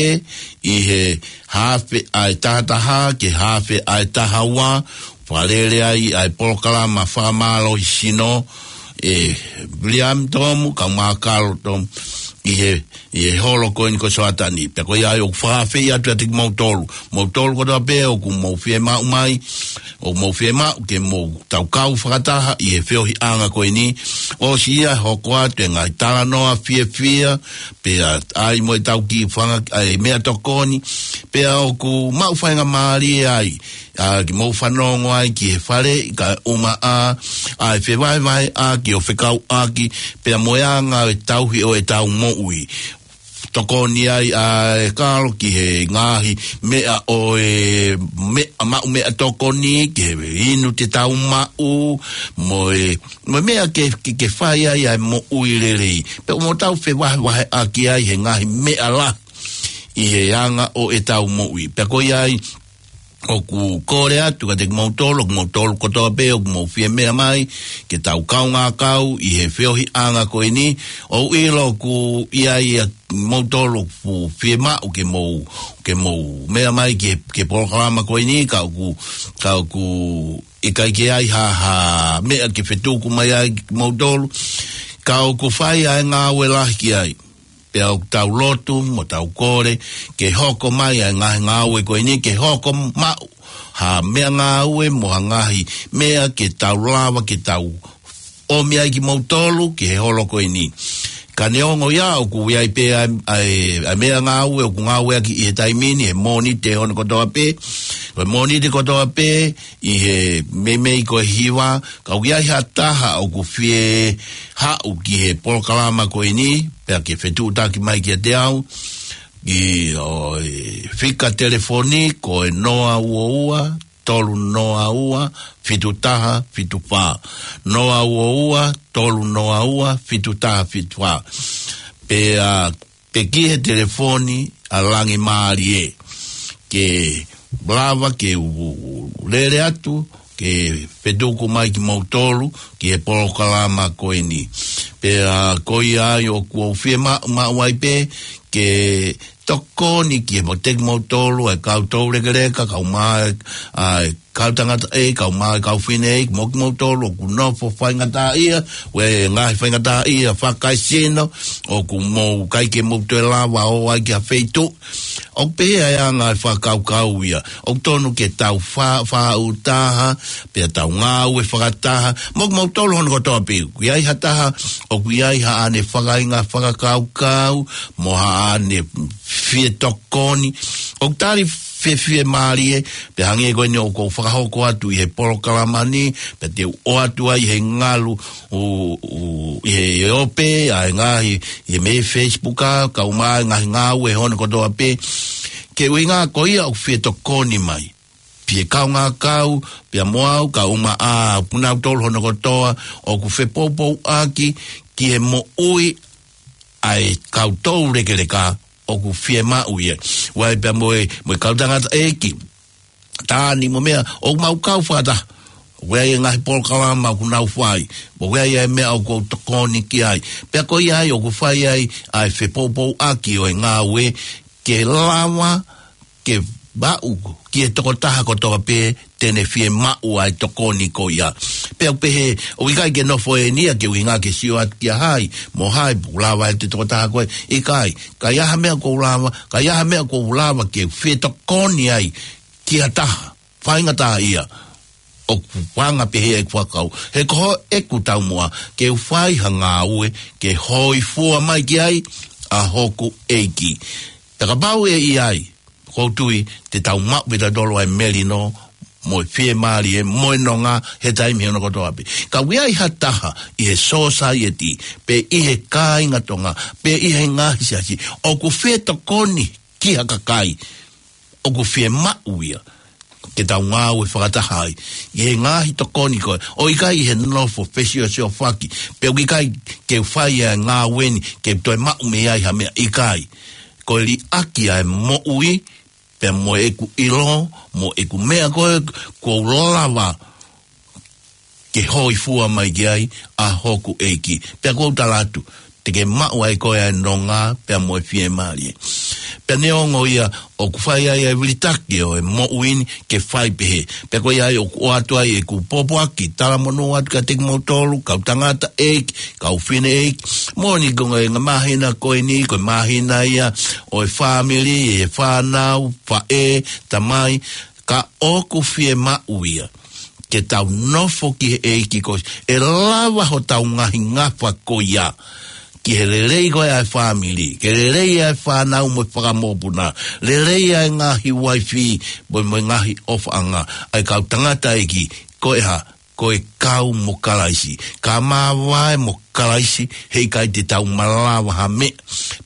ʻi he haafe ʻa e taha taha ki he haafe ʻa e taha ua, fakalele ai ʻa e polokalama fakamālohisino ʻe Uleami Tomu Kaumākalo Tomu ʻi he ʻi he holo ko eni ko Soatani. Pea ko ia ai ʻoku fakaafeʻi atu kiate kimoutolu. Moutolu kotoa pē ʻoku mou fiemaʻu mai, ʻoku mou fiemaʻu ke mou tau kau fakataha ʻi he feohiʻanga ko eni. ʻOsi ia hoko atu e ngaahi talanoa fiefia, pea ʻai mo ʻetau kiʻi fanga, ʻa e meʻatokoni, pea ʻoku maʻu faingamālie ai ʻa ke mou fanongo ai ki he fale, kae ʻumaʻā ʻa e fevahevaheʻaki ʻo fekauʻaki pea mo e anga ʻo e tauhi ʻo ʻetau moʻui. Tokoni ai ʻa e kalo ki he ngaahi meʻa ʻo e meʻa, maʻu meʻatokoni, ki he inu te tau maʻu, mo e, mo e meʻa ke, ke, ke fai ai ʻa e moʻui lelei. Pea ʻoku mou tau fevahevaheʻaki ai he ngaahi meʻa lahi ʻi he anga ʻo ʻetau moʻui. Pea ko ia ai, ʻoku kole atu kiate kimoutolu, ʻoku moutolu kotoa pē ʻoku mou fie meʻa mai, ke tau kaungā kau ʻi he feohiʻanga ko eni. ʻOku ou ʻilo ʻoku ʻi ai ʻa moutolu ʻoku fiemaʻu ke mou, ke mou meʻa mai ki he, ki he polokalama ko eni, ka ʻoku, ka ʻoku ʻikai ke ai ha, ha meʻa ke fetuku mai ai kimoutolu. Ka ʻoku fai ʻa e ngāue lahi ki ai. Pea ʻoku tau lotu mo tau kole ke hoko mai ʻa e ngaahi ngāue ko eni, ke hoko maʻu ha meʻangāue mo ha ngaahi meʻa ke tau lava ke tau ʻomi ai kimoutolu ki he holo ko eni. Ka neongo ia ʻoku ʻi ai pē ʻa e, ʻa e, ʻa e meʻangāue ʻoku ngāueʻaki ʻi he taimi ni, he Mōnite hono kotoa pē. Ko e Mōnite kotoa pē, ʻi he meimei ko e hiva, ka ʻoku ʻi ai ha taha ʻoku fie haʻu ki he polokalama ko eni, pea ke fetuʻutaki mai kiate au, ʻi he fika telefoni ko e noa ua ua, tolu noa ua, fitu taha, fitu fā. Noa ua ua, tolu noa ua, fitu taha, fitu fā. Pea, pea ki he telefoni ʻa Langi Mālie. Ke lava ke u, u, u lele atu, ke fetuku mai kimoutolu, ki he polokalama ko eni. Pea ko ia ai ʻoku ou fie ma-, maʻu ai pē, ke tokoni ki he mo te kimoutolu, ʻa e kau toulekeleka, kau mai, ʻa e kau tangataʻeiki, kau mai, kau fineʻeiki, mo kimoutolu, ʻoku nofo faingataʻaʻia, ʻi he ngaahi faingataʻaʻia fakaesino, ʻoku mou ʻikai ke mou toe lava ʻo ʻai ki ha feituʻu. ʻOku pehē ʻa e anga e fakakaukau ia. ʻOku tonu ke tau fa-, faʻu taha, pea tau ngāue fakataha. Mo kimoutolu hono kotoa pē. ʻOku ʻi ai ha taha, ʻoku ʻi ai haʻane fakaʻuhinga fakakaukau, mo haʻane fie tokoni. ʻOku tali fiefia mālie, pea hangē ko eni ʻoku ou fakahoko atu ʻi he polokalama ni, pea te u ʻoatu ai he ngalu, ʻo, ʻo, ʻi he ope, ʻa e ngaahi, ʻi he meʻa Facebook ʻa, kau mai ngaahi ngāue hono kotoa pē. Ke ʻuhinga ko ia ʻoku fie tokoni mai. Pea kaungā kau, pea mo au, kau mai ʻa, pea nautolu hono kotoa, ʻoku fepoupouaki, ki he moʻui, ʻa e kau toulekeleka, ʻoku fie maʻu ia. ʻOku ʻi ai pea mo e, mo e kau tangataʻeiki. Taʻane mo meʻa, ʻoku mau kau fakataha. ʻOku ʻi ai e ngaahi polokalama ʻoku nau fai. ʻOku ʻi ai e meʻa ʻoku ou tokoni ki ai. Pea ko ia ai ʻoku fai ai, ʻa e fepoupouaki ʻo e ngāue, ke lava, ke vaʻu, ki he tokotaha kotoa pē, te ne fie maʻu ʻa e tokoni ko ia. Pea ʻoku pehē, ʻoku ʻikai ke nofo eni ia ke ʻuhinga ke sio atu kia hai, mo hai, ʻoku lava ʻe he tokotaha ko ē, ʻikai, ka ʻi ai ha meʻa ʻoku ou lava, ka ʻi ai ha meʻa ʻoku ou lava ke fie tokoni ai, ki ha taha, faingataʻaʻia, ʻoku anga pehē ʻeku fakakaukau. He ko ʻeku taumuʻa, ke u fai ha ngāue, ke hōifua mai ki ai, ʻa hoku ʻEiki. Pea kapau ʻe ʻi ai, ʻoku ou tui, te tau maʻu pē tautolu ʻa e melino, mo e fiemālie, mo e nonga, he taimi hono kotoa pē. Ka ʻoku ʻi ai ha taha, ʻi he sōsaieti, pe ʻi he kāinga Tonga, pe ʻi he ngaahi siasi, ʻoku fie tokoni ki ha kakai, ʻoku fie maʻu ia, ke tau ngāue fakataha ai, ʻi he ngaahi tokoni ko ē, ʻo ʻikai ʻi he nofo fesiosiofaki, pe ʻoku ʻikai ke fai ʻa e ngāue ni, ke toe maʻu mei ai ha meʻa ʻikai. Ko e liʻaki ʻa e moʻui, pea mo ʻeku ʻilo, mo ʻeku meʻa ko ē, ʻoku ou lava ke hōifua mai ki ai ʻa hoku ʻEiki. Pea ʻoku ou tala atu, te ke maʻu ai koe ʻa e nonga, pea mo e fiemālie. Pea neongo ia ʻoku fai ai ʻa e vilitaki ʻo e moʻui ni ke fai pehē. Pea ko ia ai ʻoku ʻoatu ai ʻeku pōpoaki, talamonū atu kiate kimoutolu, kau tangataʻeiki, kau fineʻeiki, moʻoni ko e ngaahi māhina ko eni, ko e māhina ia ʻo e fāmili, ʻa e fānau, faʻē, tamai, ka ʻoku fie maʻu ia, ke tau nofo ki he ʻEiki ko ē, ʻe lava hotau ngaahi ngafa ko ia, ki he lelei ko ē ʻa e fāmili, ke lelei ʻa e fānau mo e fakamokopuna, lelei ʻa e ngaahi uaifi, mo, mo e ngaahi ʻofaʻanga, ʻa e kau tangataʻeiki, ko e hā, ko e kau mo Kalaisi. Ka māvae mo Kalaisi, heʻikai te tau malava ha meʻa.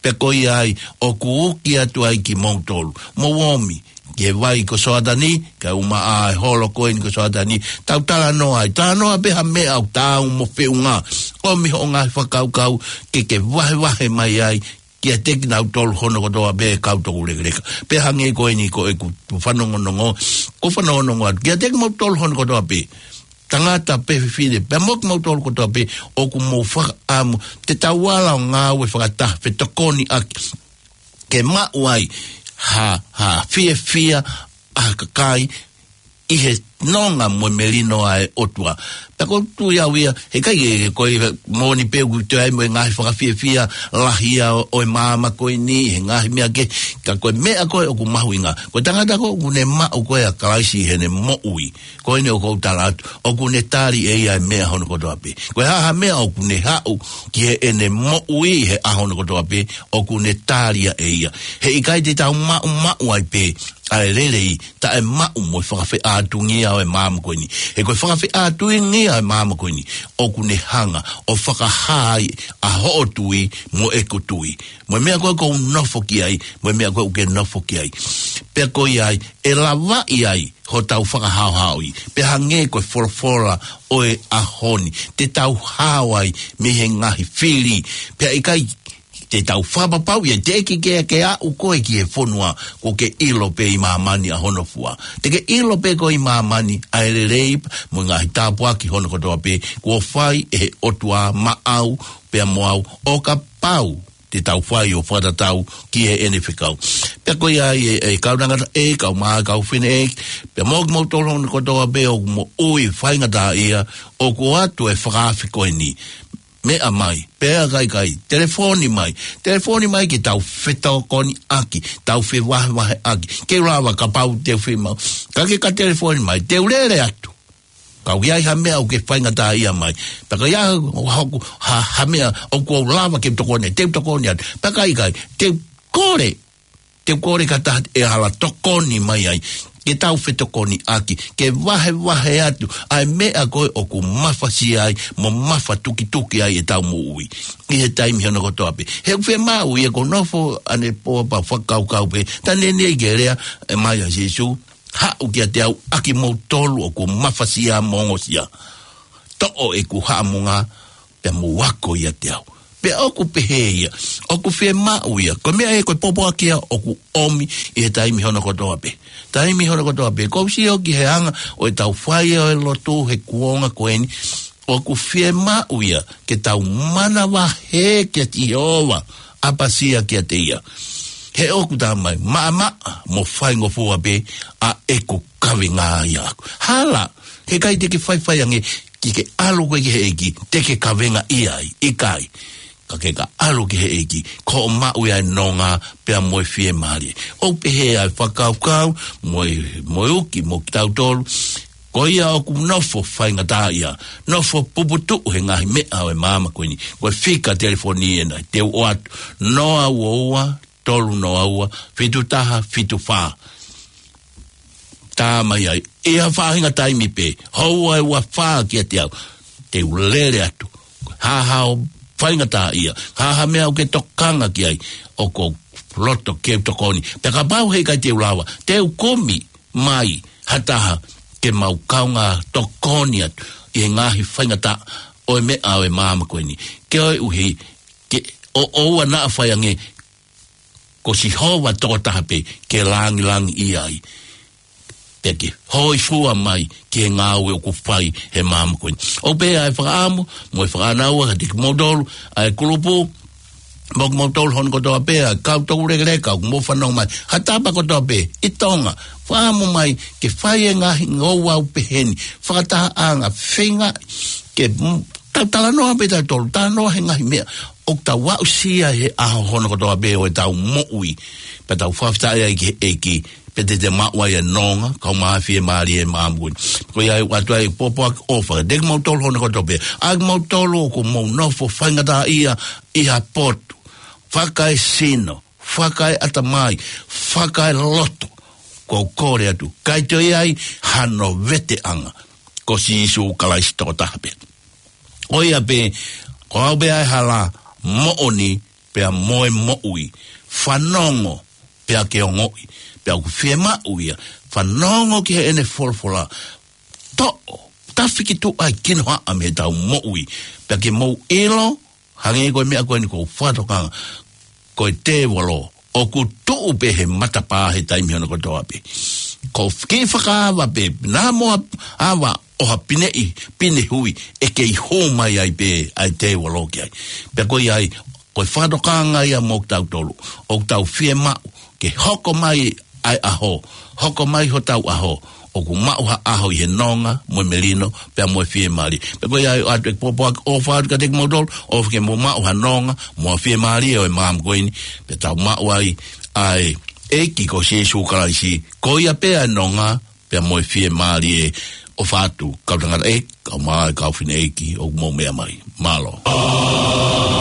Pea ko ia ai, ʻoku uki atu ai kimoutolu. Mou ōmi, ki he vai ko Soatani, kae ʻumaʻā e holo ko eni ko Soatani. Tau talanoa ai, talanoa pē ha meʻa ʻoku taau mo feʻunga. ʻOmi hoʻo ngaahi fakakaukau, ke ke vahevahe mai ai, kiate kinautolu hono kotoa pē kau toulekeleka. Pea hangē ko eni ko ʻeku fanongonongo, ʻoku ou fanongonongo atu, kiate kimoutolu hono kotoa pē. Tangata pe fefine, pea mo kimoutolu kotoa pē, ʻoku mou fakaʻamu, te tau ala ʻo ngāue fakataha, fetokoniʻaki, ke maʻu ai, ha, ha fiefia, ʻa e kakai, ʻi he nonga mo e melino ʻa e ʻOtua. Pea ʻoku ou tui au ia, heʻikai ke, ko e moʻoni pē ʻoku toe ʻi ai mo e ngaahi fakafiefia lahi ia ʻo, ʻo e maama ko eni, he ngaahi meʻa kehe, ka ko e meʻa ko ē ʻoku mahuʻinga. Ko e tangata ko ē ʻoku ne maʻu ko ē ʻa Kalaisi ʻi heʻene moʻui. Ko eni ʻoku ou tala atu, ʻoku ne tali ʻe ia e meʻa hono kotoa pē. Ko e hā ha meʻa ʻoku ne haʻu ki heʻene moʻui he ʻaho hono kotoa pē, ʻoku ne tali ia ʻe ia. Heʻikai te tau maʻumaʻu ai pē ʻa e lelei, taʻemaʻu mo e fakafeʻātungia ʻo e maama ko eni. He ko e fakafeʻātungia ʻo e maama ko eni, ʻoku ne hanga ʻo fakahā ai ʻa hoʻo tui mo ʻeku tui. Mo e meʻa ko ē ʻoku ou nofo ki ai, mo e meʻa ko ē ʻoku ke nofo ki ai. Pea ko ia ai, ʻe lavaʻi ai hotau fakahaohaoʻi. Pea hangē ko e folofola ʻo e ʻaho ni, te tau hao ai mei he ngaahi fili. Pea ʻikai te tau fakapapauʻi ia, teʻeki ke, ke aʻu koe ki he fonua, kuo ke ʻilo pē ʻi māmani ʻa hono fua. Te ke ʻilo pē koe ʻi māmani ʻa e lelei mo e ngaahi tāpuaki hono kotoa pē kuo fai ʻe he ʻOtua maʻau pea mo au, ʻo kapau te tau fai ʻo fakatatau ki heʻene fekau. Pea ko ia ai e, e kau tangata ʻe, kau mā, kau fefine ʻe, pea mo kimoutolu hono kotoa pē ʻoku moʻui faingataʻaʻia, ʻoku ʻoatu e fakaafe ko eni. Meʻa mai, pea ka ʻikai, telefoni mai. Telefoni mai ke tau fetokoniʻaki, tau fevahevaheʻaki. Ke u lava kapau te u fiemaʻu. Ka ke ka telefoni mai, te u lele atu. Ka ʻoku ʻi ai ha meʻa ʻoku ke faingataʻaʻia mai. Pea ka ʻi ai hoku, ha, ha meʻa ʻoku ou lava ke u tokoni, te u tokoni atu. Pea ka ʻikai, te u kole, te u kole ka taha ʻe hala tokoni mai ai. Ke tau fetokoniʻaki, ke vahevahe atu ʻa e meʻa ko ē ʻoku mafasia ai, mo mafatukituki ai ʻetau moʻui ʻi he taimi hono kotoa pē. He ʻoku fiemaʻu ia ʻoku ou nofo ʻanepō pea fakakaukau pē, tā neʻineʻi ke lea ʻe mai ʻa Sīsū, haʻu kiate au ʻa kimoutolu ʻoku mafasia mo ongosia. Toʻo ʻeku haʻamonga pea mou ako ʻiate au. Pea ʻoku pehē ia, ʻoku fiemaʻu ia, ko e meʻa ē ko e pōpoaki ia ʻoku ʻomi ʻi he taimi hono kotoa pē. Taimi hono kotoa pē, ʻoku ou sio ki he anga ʻo ʻetau fai ʻo e lotu he kuonga ko eni, ʻoku fiemaʻu ia ke tau manavahē kia Sihova, ʻapasia kiate ia. He ʻoku tā mai, maʻamaʻa mo faingofua pē ʻa ʻeku kavenga ia ʻaʻaku. Hala, heʻikai te ke faifai ange ke ke ʻalu koe ki he ʻEiki, te ke kavengaʻia ai, ʻikai. Ka ke ka ʻalu ki he ʻEiki, ko hoʻo maʻu ia e nonga pea mo e fiemālie. ʻOku pehē ʻa e fakakaukau, mo e, mo e uki, mo kitautolu, ko ia ʻoku nofo faingataʻaʻia, nofo puputuʻu he ngaahi meʻa ʻo e maama ko eni. Ko e fika telefoni ena, te u ʻoatu, noa ua ua, tolu noa ua, fitu taha, fitu fā. Tā mai ai, ʻi ha faʻahinga taimi pē, houa ʻe ua fā kiate au, te u lele atu. Hā ha ʻoku faingataʻaʻia, hā ha meʻa ʻoku ke tokanga ki ai, ʻoku ou loto ke u tokoni. Pea kapau heʻikai te u lava, te u kumi mai ha taha ke mau kaungā tokoni atu ʻi he ngaahi faingataʻa ʻo e meʻa ʻo e maama ko eni. Koeʻuhi, ke ʻo, ʻoua naʻa fai ange, ko Sihova tokotaha pē ke langilangiʻia ai. Pea ke hōifua mai ki he ngāue ʻoku fai he maama ko eni. ʻOku pehē ʻa e fakaʻamu, mo e fakaʻānaua, kiate kimoutolu ʻa e kulupu, mo kimoutolu hono kotoa pē ʻa e kau toulekeleka, ʻoku mou fanongo mai. Ha tapa kotoa pē, ʻi Tonga, fakaʻamu mai, ke fai e ngaahi ouau pehē ni, fakatahaʻanga, feinga, ke, mm, tau talanoa pē tautolu, talanoa he ngaahi meʻa ʻoku tau aʻusia he ʻaho hono kotoa pē ʻo ʻetau moʻui. Pea tau fakafetaʻi ai ki he ʻEiki, pea te te maʻu ai e nonga, kae ʻumaʻā e fiemālie ʻo e maama ko eni. Ko ia ʻoku ʻoatu ai e pōpoaki ʻofa kiate kimoutolu hono kotoa pē. ʻA kimoutolu ʻoku mou nofo faingataʻaʻia ʻi ha potu, fakaesino, fakaeʻatamai, fakaeloto, ʻoku ou kole atu, ʻikai toe ʻi ai hano veteʻanga, ko Sīsū Kalaisi tokotaha pē. Ko ia pē, ko au pē ʻa e hala, moʻoni, pea mo e moʻui. Fanongo, pea ke ongoʻi. Pea ʻoku fiemaʻu ia, fanongo ki heʻene folofola. Toʻo, tafi ki tuʻa e kinohaʻa mei heʻetau moʻui. Pea ke mou ʻilo, hangē ko e meʻa ko eni ʻoku ou fakatokanga, ko e tēvolo ʻoku tuʻu pē he matapā he taimi hono kotoa pē. Ko e kiʻi fakaava pē, naʻa mo ava ʻo ha pineʻi, pine hui, ʻe kei hū mai ai pē ʻa e tēvolo ki ai. Pea ko ia ai, ko e fakatokanga ia mo kitautolu, ʻoku tau fiemaʻu ke hoko mai ʻa e ʻaho, hoko mai hotau ʻaho, ʻoku maʻu ha ʻaho ʻi he nonga, mo e melino, pea mo e fiemālie. Pea ko ia ʻoku ʻoatu ʻeku pōpoaki ʻofa atu kiate kimoutolu, ʻofa ke mou maʻu ha nonga, mo e fiemālie ʻo e maama ko eni, pea tau maʻu ai ʻa e ʻEiki ko Sīsū Kalaisi, ko ia pē ʻa e nonga, pea mo e fiemālie. ʻOfa atu, kau tangataʻeiki, kau mā, kau fineʻeiki, ʻoku mou meʻa mai. Mālō. Mālō,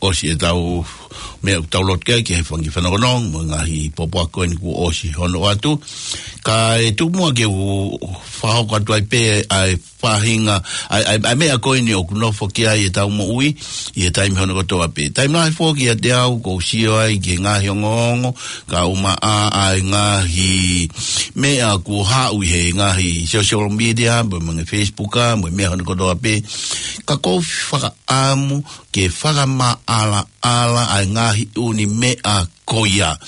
ʻosi ʻetau meʻa ʻoku tau lotu ki ai, ki he fanga kiʻi fanokonono, mo e ngaahi pōpoaki ko eni kuo ʻosi hono ʻoatu. Kae tuku muʻa ke u fakahoko atu ai pē ʻa e faʻahinga, ʻa e, ʻa e, ʻa e meʻa ko eni ʻoku nofo ki ai ʻetau moʻui, ʻi he taimi hono kotoa pē. Taimi lahi foki ʻiate au, ʻoku ou sio ai ki he ngaahi ongoongo, kae ʻumaʻā ʻa e ngaahi meʻa kuo haʻu ʻi he ngaahi social media, mo e ngaahi Facebook, mo e meʻa hono kotoa pē. Ka ʻoku ou fakaʻamu ke fakamaʻalaʻala ʻa e ngaahi ʻū meʻa ko ia.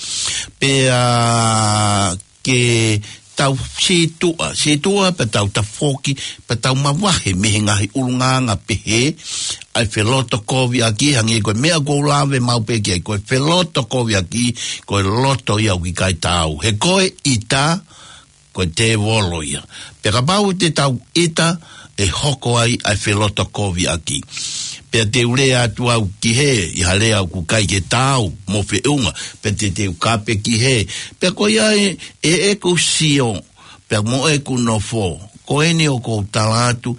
Pea ke tau sītuʻa, sītuʻa pea tau tafoki, pea tau mavahe mei he ngaahi ʻulungaanga pehē, ʻa e felotokoviʻaki, hangē ko e meʻa ʻoku ou lave maʻu pē ki ai, ko e felotokoviʻaki, ko e loto ia ʻoku ʻikai taau. He ko e ʻita, ko e tēvolo ia. Pea kapau te tau ʻita, ʻe hoko ai ʻa e felotokoviʻaki. Pea te u lea atu au ki hē, ʻi ha lea ʻoku ʻikai ke taau mo feʻunga, pea te te u kape ki hē. Pea ko ia ē, ʻe, ʻeku sio, pea mo ʻeku nofo, ko eni ʻoku ou tala atu,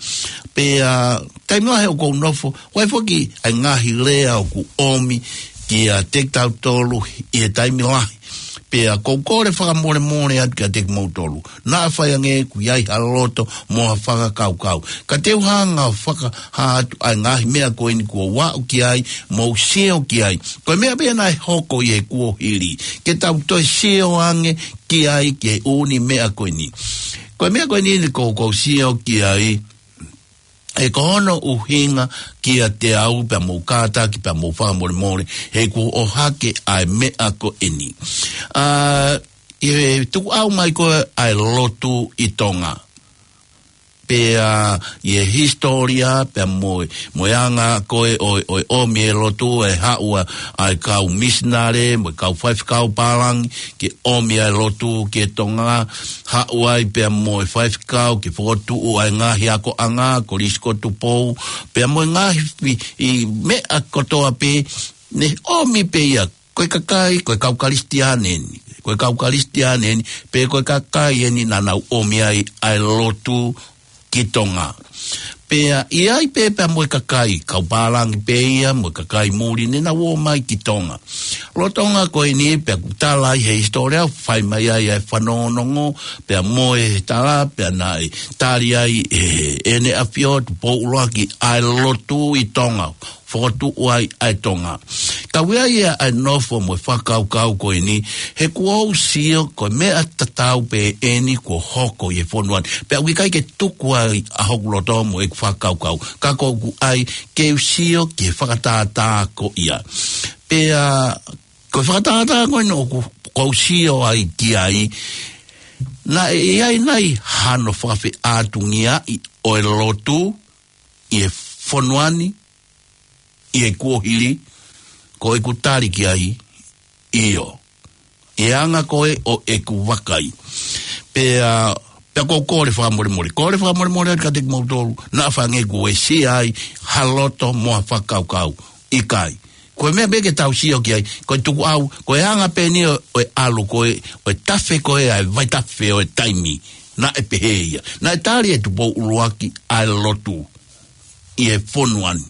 pea taimi lahi ʻoku ou nofo, ʻoku ʻi ai foki ʻa e ngaahi lea ʻoku ʻomi kiate kitautolu ʻi he taimi lahi. Pea ʻoku ou kole fakamolemole atu kiate kimoutolu. Naʻa faʻa hangē ʻoku ʻi ai ha loto mo ha fakakaukau. Ka te u hanga ʻo fakahā atu ʻa e ngaahi meʻa ko eni kuo u aʻu ki ai, mou sio ki ai. Ko e meʻa pē naʻe hoko ʻi he kuohili. Ke tau toe sio ange ki ai ki he ʻū meʻa ko eni. Ko e meʻa ko eni ʻoku ou sio ki ai, ʻe ko hono ʻuhinga kiate au pea mou kātaki pea mou fakamolemole, he kuo ʻohake ʻa e meʻa ko eni. ʻA, ʻi he tukuʻau mai ko ē ʻa e lotu ʻi Tonga. Pea ʻi he hisitōlia, pea mo e, mo e anga ko ē ʻo, ʻo e ʻomi e lotu, ʻe haʻu ʻa, ʻa e kau misinale, mo e kau faifekau pālangi, ke ʻomi ʻa e lotu ki Tonga, haʻu ai pea mo e faifekau, ke fokotuʻu ʻa e ngaahi akoʻanga, Kolisi ko Tupou, pea mo e ngaahi fi-, ʻi meʻa kotoa pē, ne ʻomi pē ia, ko e kakai, ko e kau Kalisitiane eni, ko e kau Kalisitiane eni, pe ko e kakai eni naʻa nau ʻomi ai ʻa e lotu ki Tonga. Pea ʻi ai pē pea mo e kakai, kau pālangi pē ia, mo e kakai muli, ne nau ō mai ki Tonga. Lolotonga ko eni pea ʻoku tala ʻi he hisitōlia, fai mai ai ʻa e fanongonongo, pea mo e tala, pea naʻe tali ai ʻe, ʻEne ʻAfio Tupou ʻUluaki ʻa e lotu ʻi Tonga, fokotuʻu ai ʻa e Tonga. Ka ʻoku ʻi ai ʻa e nofo mo e fakakaukau ko eni, he kuo u sio ko e meʻa tatau pē eni kuo hoko ʻi he fonua ni. Pea ʻoku ʻikai ke tuku ai ʻa hoku loto mo ʻeku fakakaukau. Ka ʻoku ou ʻai ke u sio ki he fakatātā ko ia. Pea ko e fakatātā ko eni ʻoku, ʻoku ou sio ai ki ai, naʻe ʻi ai nai hano fakafeʻātungiaʻi ʻo e lotu ʻi he fonua ni, ʻi he kuohili? Ko ʻeku tali ki ai, ʻio. ʻI he anga ko ē ʻo ʻeku vakai. Pea, pea ʻoku ou kole fakamolemole. Kole fakamolemole atu kiate kimoutolu, naʻa faʻa hangē kuo uesia ai ha loto mo ha fakakaukau. ʻIkai. Ko e meʻa pē ke tau sio ki ai, ko e tukuʻau, ko e anga pē eni ʻo, ʻo e ʻalu ko ē, ʻo e tafe ko ē ʻa e vaitafe ʻo e taimi. Naʻe pehē ia. Naʻe tali ʻe Tupou ʻUluaki ʻa e lotu ʻi he fonua ni.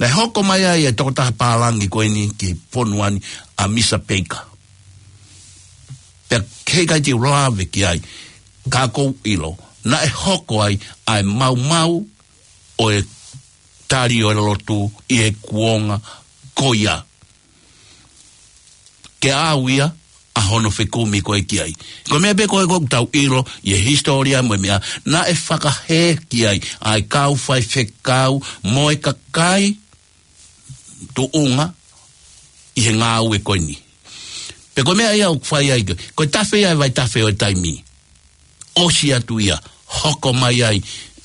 Naʻe hoko mai ai e tokotaha pālangi ko eni ki he fonua ni, ʻa Misa Peika. Pea heʻikai te u lave ki ai, ka ʻoku ou ʻilo, naʻe hoko ai ʻa e maumau ʻo e tali ʻo e lotu ʻi he kuonga ko ia. Ke ʻau ia ʻa hono fekumi ko ē ki ai. Ko e meʻa pē ko ē ʻoku tau ʻilo ʻi he hisitōlia mo e meʻa, naʻe fakahē ki ai ʻa e kau faifekau mo e kakai tuʻunga ʻi he ngāue ko eni. Pea ko e meʻa ia ʻoku fai ai ko e, ko e tafe ia ʻa e vaitafe ʻo e taimi. ʻOsi atu ia, hoko mai ai,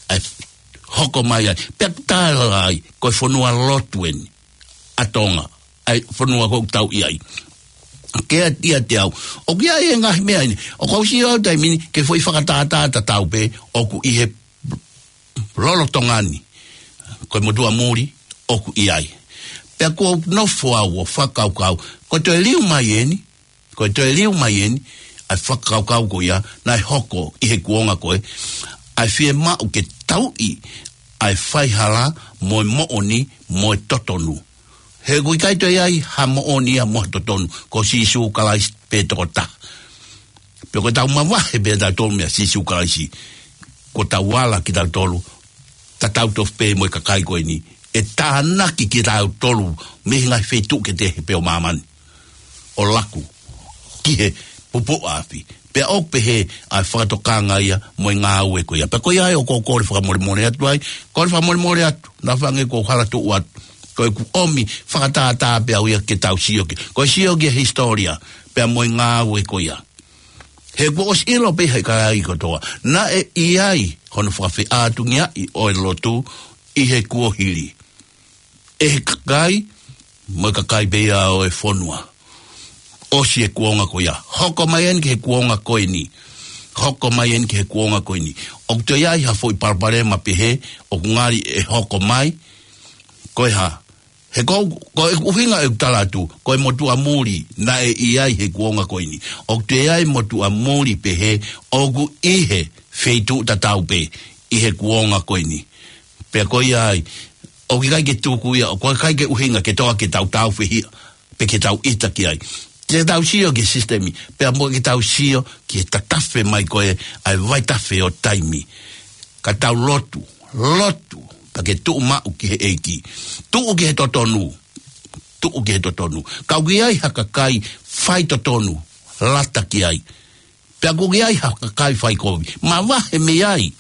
ʻa e, hoko mai ai. Pea tala ai, ko e fonua lotu eni ʻa Tonga, ʻa e fonua ʻoku tau ʻi ai. Ke ʻiate au, ʻoku ʻi ai e ngaahi meʻa eni, ʻoku ou sio au taimi ni, ki he foʻi fakatātā tatau pē, ʻoku ʻi he lolotonga ni, ko e motuʻa muli ʻoku ʻi ai. Pea ʻoku ou nofo au ʻo fakakaukau, ko e toe liu mai eni, ko e toe liu mai eni, ʻa e fakakaukau ko ia, naʻe hoko ʻi he kuonga ko ē, ʻa e fiemaʻu ke tauʻi ʻa e faihala mo e moʻoni mo e totonu. He ʻoku ʻikai toe ʻi ai ha moʻoni ia mo ha totonu, ko Sīsū Kalaisi pē tokotaha. Pea ko ʻetau mavahe pē ʻa tautolu meia Sīsū Kalaisi, ko ʻetau ala kitautolu, tatau tofu pē mo e kakai ko eni, ʻe tānaki kitautolu mei he ngaahi feituʻu kehekehe pē ʻo māmani, ʻo laku ki he pupuʻa afi. Pea ʻoku pehē ʻa e fakatokanga ia mo e ngāue ko ia. Pea ko ia ai ʻoku ou kole fakamolemole atu ai, kole fakamolemole atu, naʻa faʻa hangē ʻoku ou hala tuʻu atu. Ko ʻeku ʻomi fakatātā pē au ia ke tau sio ki ai. Ko e sio ki he hisitōlia, pea mo e ngāue ko ia. He kuo ʻosi ʻilo pē ʻe he kakai kotoa, naʻe ʻi ai hono fakafeʻātungiaʻi ʻo e lotu ʻi he kuohili. ʻE he kakai, mo e kakai pē ia ʻo e fonua. ʻOsi e kuonga ko ia. Hoko mai eni ki he kuonga ko eni. Hoko mai eni ki he kuonga ko eni. ʻOku toe ʻi ai ha foʻi palopalema pehē, ʻoku ngali ʻe hoko mai, ko e hā? He ko, ko e ʻuhinga ʻeku tala atu, ko e motuʻa muli naʻe ʻi ai he kuonga ko eni. ʻOku toe ʻi ai motuʻa muli pehē, ʻoku ʻi he feituʻu tatau pē ʻi he kuonga ko eni. Pea ko ia ai, ʻoku ʻikai ke tuku ia, ʻoku ʻikai ke ʻuhinga ke toa ke tau tāufehiʻa, pe ke tau ʻita ki ai. Ke tau sio ki he sisitemi, pea mo ke tau sio ki he tatafe mai ko ē ʻa e vaitafe ʻo taimi. Ka tau lotu, lotu, pea ke tuʻu maʻu ki he ʻEiki. Tuʻu ki he totonu, tuʻu ki he totonu. Ka ʻoku ʻi ai ha kakai faitotonu, lata ki ai. Pea ʻoku ʻi ai ha kakai faikovi. Mavahe mei ai,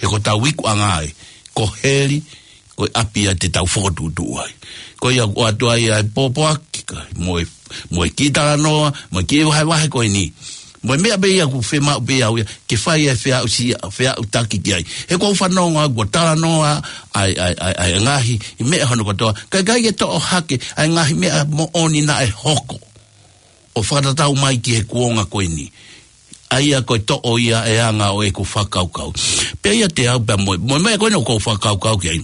he ko hotau ikuʻanga ē, ko heli, ko e ʻapi ia te tau fokotuʻutuʻu ai. Ko ia ʻoku ʻoatu ai ʻa e pōpoaki, ka mo e, mo e kiʻi talanoa, mo e kiʻi vahevahe ko eni. Mo e meʻa pē ia ʻoku fiemaʻu pē au ia, ke fai e feʻausia, feʻautaki ki ai. He ʻoku ou fanongo au ʻoku talanoa ʻa e, ʻa e, ʻa e, ʻa e ngaahi, ʻi meʻa hono kotoa. Ka ʻikai ke toʻo hake, ʻa e ngaahi meʻa moʻoni naʻe hoko. ʻO fakatatau mai ki he kuonga ko eni. ʻA ia ko e toʻo ia e anga ʻo ʻeku fakakaukau. Pea ʻiate au pea mo, mo e meʻa ko eni ʻoku ou fakakaukau ki ai.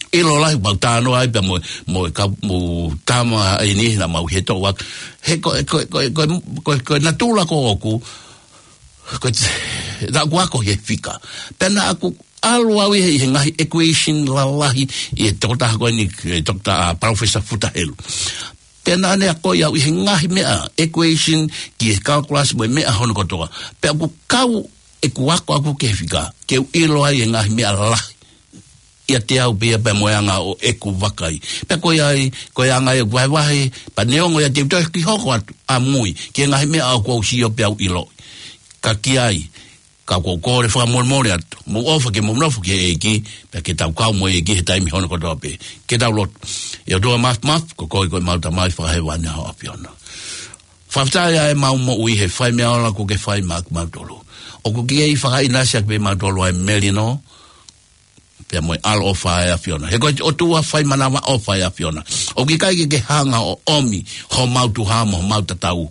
ʻIlo lahi mau talanoa ai pea mo, mo e ka, mo tama ʻeni naʻa mau he toʻo atu. He ko, ko, ko, ko, ko, ko e natula ko ʻoku, ko e, naʻa ku ako he fika. Pea naʻa ku ʻalu au ʻi he, ʻi he ngaahi equation lalahi ʻi he tokotaha ko eni, ʻe Doctor, ʻa, Professor Futa Helu. Pea naʻa ne akoʻi au ʻi he ngaahi meʻa equation ki he calculus mo e meʻa hono kotoa. Pea ʻoku kau ʻeku ako aku ki he fika, ke u ʻilo ai e ngaahi meʻa lalahi. ʻIate au pea pea mo e anga ʻo ʻeku vakai. Pea ko ia ai, ko e anga ʻeku vahevahe, pea neongo ia te u toe kiʻi hoko atu, ʻamui, ki he ngaahi meʻa ʻoku ou sio pea u ʻiloʻi. Ka ki ai, ka ʻoku ou kole fakamolemole atu. Mou ʻofa ke mou nofo ki he ʻEiki, pea ke tau kau mo e ʻEiki he taimi hono kotoa pē. Ke tau lotu. ʻE ʻOtua Mafimafi, ko koe ko ʻemau Tamai fakahēvani ʻa ho ʻAfiona. Fakafetaʻi ʻa ʻemau moʻui he fai meʻa ola kuo ke fai maʻa kimautolu. ʻOku ke kei fakaʻinasi ʻaki pē kimautolu ʻa e melino, pea mo e ʻaloʻofa ʻa e ʻAfiona. He ko e ʻOtua fai manavaʻofa ʻa e ʻAfiona. ʻOku ʻikai ke ke hanga ʻo ʻomi homau tuha mo homau tatau.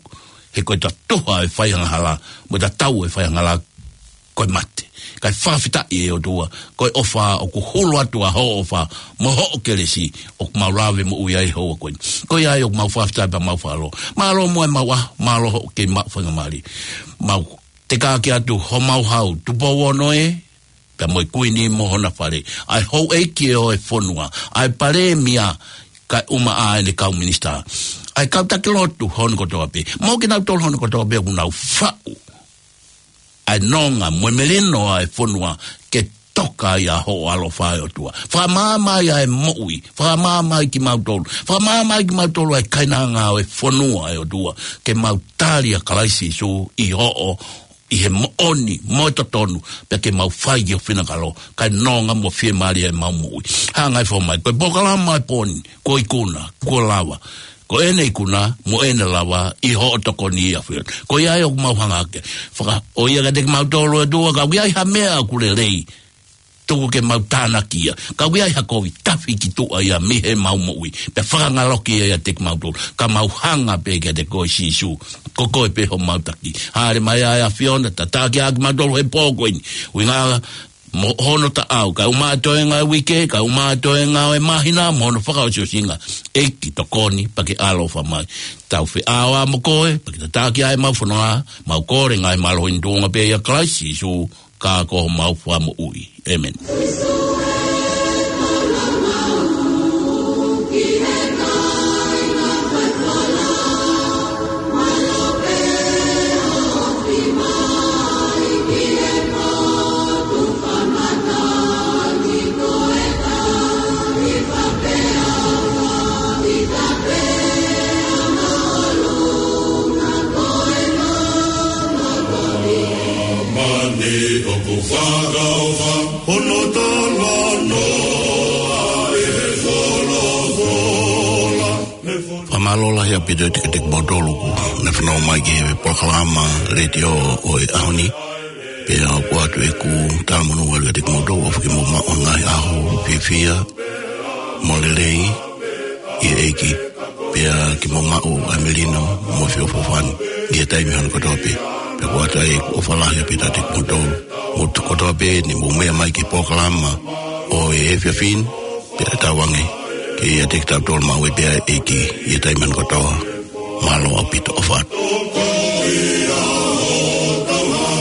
He ko e tatuha e fai angahala, mo e tatau e fai angahala ko e mate. Kae fakafetaʻi ʻe ʻOtua, ko e ʻofa ʻoku hulu atu ʻa hoʻo ʻofa, mo hoʻo kelesi, ʻoku mau lave moʻui ai he houa ko eni. Ko ia ai ʻoku mau fakafetaʻi pea mau fakalō. Mālō mo e mau ʻaho, mālō hoʻo kei maʻu faingamālie. Mau tekaki atu homau hau, Tupou Ono ē, pea mo e Kuini mo hona fale. ʻA e houʻeiki ʻo e fonua. ʻA e palēmia kae ʻumaʻā ʻene kau minisitā. ʻA e kau taki lotu hono kotoa pē. Mo kinautolu hono kotoa pē ʻoku nau faʻu ʻa e nonga mo e melino ʻa e fonua ke toka ai ʻa hoʻo ʻaloʻofa ʻe ʻOtua. Fakamaama ai ʻa e moʻui. Fakamaama ai kimautolu. Fakamaama ai kimautolu ʻa e kainanga ʻo e fonua ʻe ʻOtua. Ke mau tali ʻa Kalaisi Sīsū ʻi hoʻo ʻi he moʻoni, mo e totonu, pea ke mau fai ki ho finangalo, kae nonga mo fiemālie ʻemau moʻui. Hanga ʻe fo mai, ko e polokalama ʻo e pō ni, ko e ikuna, kuo lava. Ko ʻene ikuna, mo ʻene lava, ʻi hoʻo tokoni ʻa e ʻAfiona. Ko ia ai ʻoku mau hanga hake. Faka, ʻoiauē kiate kimautolu ʻe ʻOtua, ka ʻoku ʻi ai ha meʻa ʻoku lelei, tuku ke mau tānaki ia. Ka ʻoku ʻi ai ha kovi, tafi ki tuʻa ia mei heʻemau moʻui. Pea fakangaloki ia ʻiate kimautolu. Ka mau hanga pē kiate koe Sīsū. Ko koe pē homau taki. Haʻele mai ʻa e ʻAfiona, tataki ʻa kimautolu he pō ko eni. ʻUhinga mo hono taʻau, kae ʻumaʻā e toenga ʻo e uike, kae ʻumaʻā e toenga ʻo e māhina, mo hono fakaʻosiʻosinga. ʻEiki tokoni, pea ke ʻaloʻofa mai. Tau feʻao mo koe, pea ke tataki ʻa ʻemau fononga, mau kole ngaahi mālohi ni tuʻunga pē ʻia Kalaisi Sīsū, ka ko homau Fakamoʻui. ʻĒmeni. Mani ʻoku fakaʻofa hono talanoa ʻe he folofola. Fakamālō lahi ʻaupito ʻiate kimoutolu kuo ne fanongo mai ki he polokalama letiō ʻo e ʻaho ni. Pea ʻoatu ʻeku talamonū atu kiate kimoutolu ʻofa ke mou maʻu ha ngaahi ʻaho fiefia mo lelei ʻi he ʻEiki. Pea ke mou maʻu ʻa e melino mo e feʻofoʻofani ʻi he taimi hono kotoa pē. Pea ʻoatu ai ʻeku ʻofa lahi ʻaupito ʻiate kimoutolu. Mou tokoni kotoa pē ne mou meʻa mai ki he polokalama ʻo e efiafi ni. Pea tauange ke ʻiate kitautolu maʻu ai pē ʻa e ʻEiki ʻi he taimi hono kotoa. Mālō ʻaupito, ʻofa atu.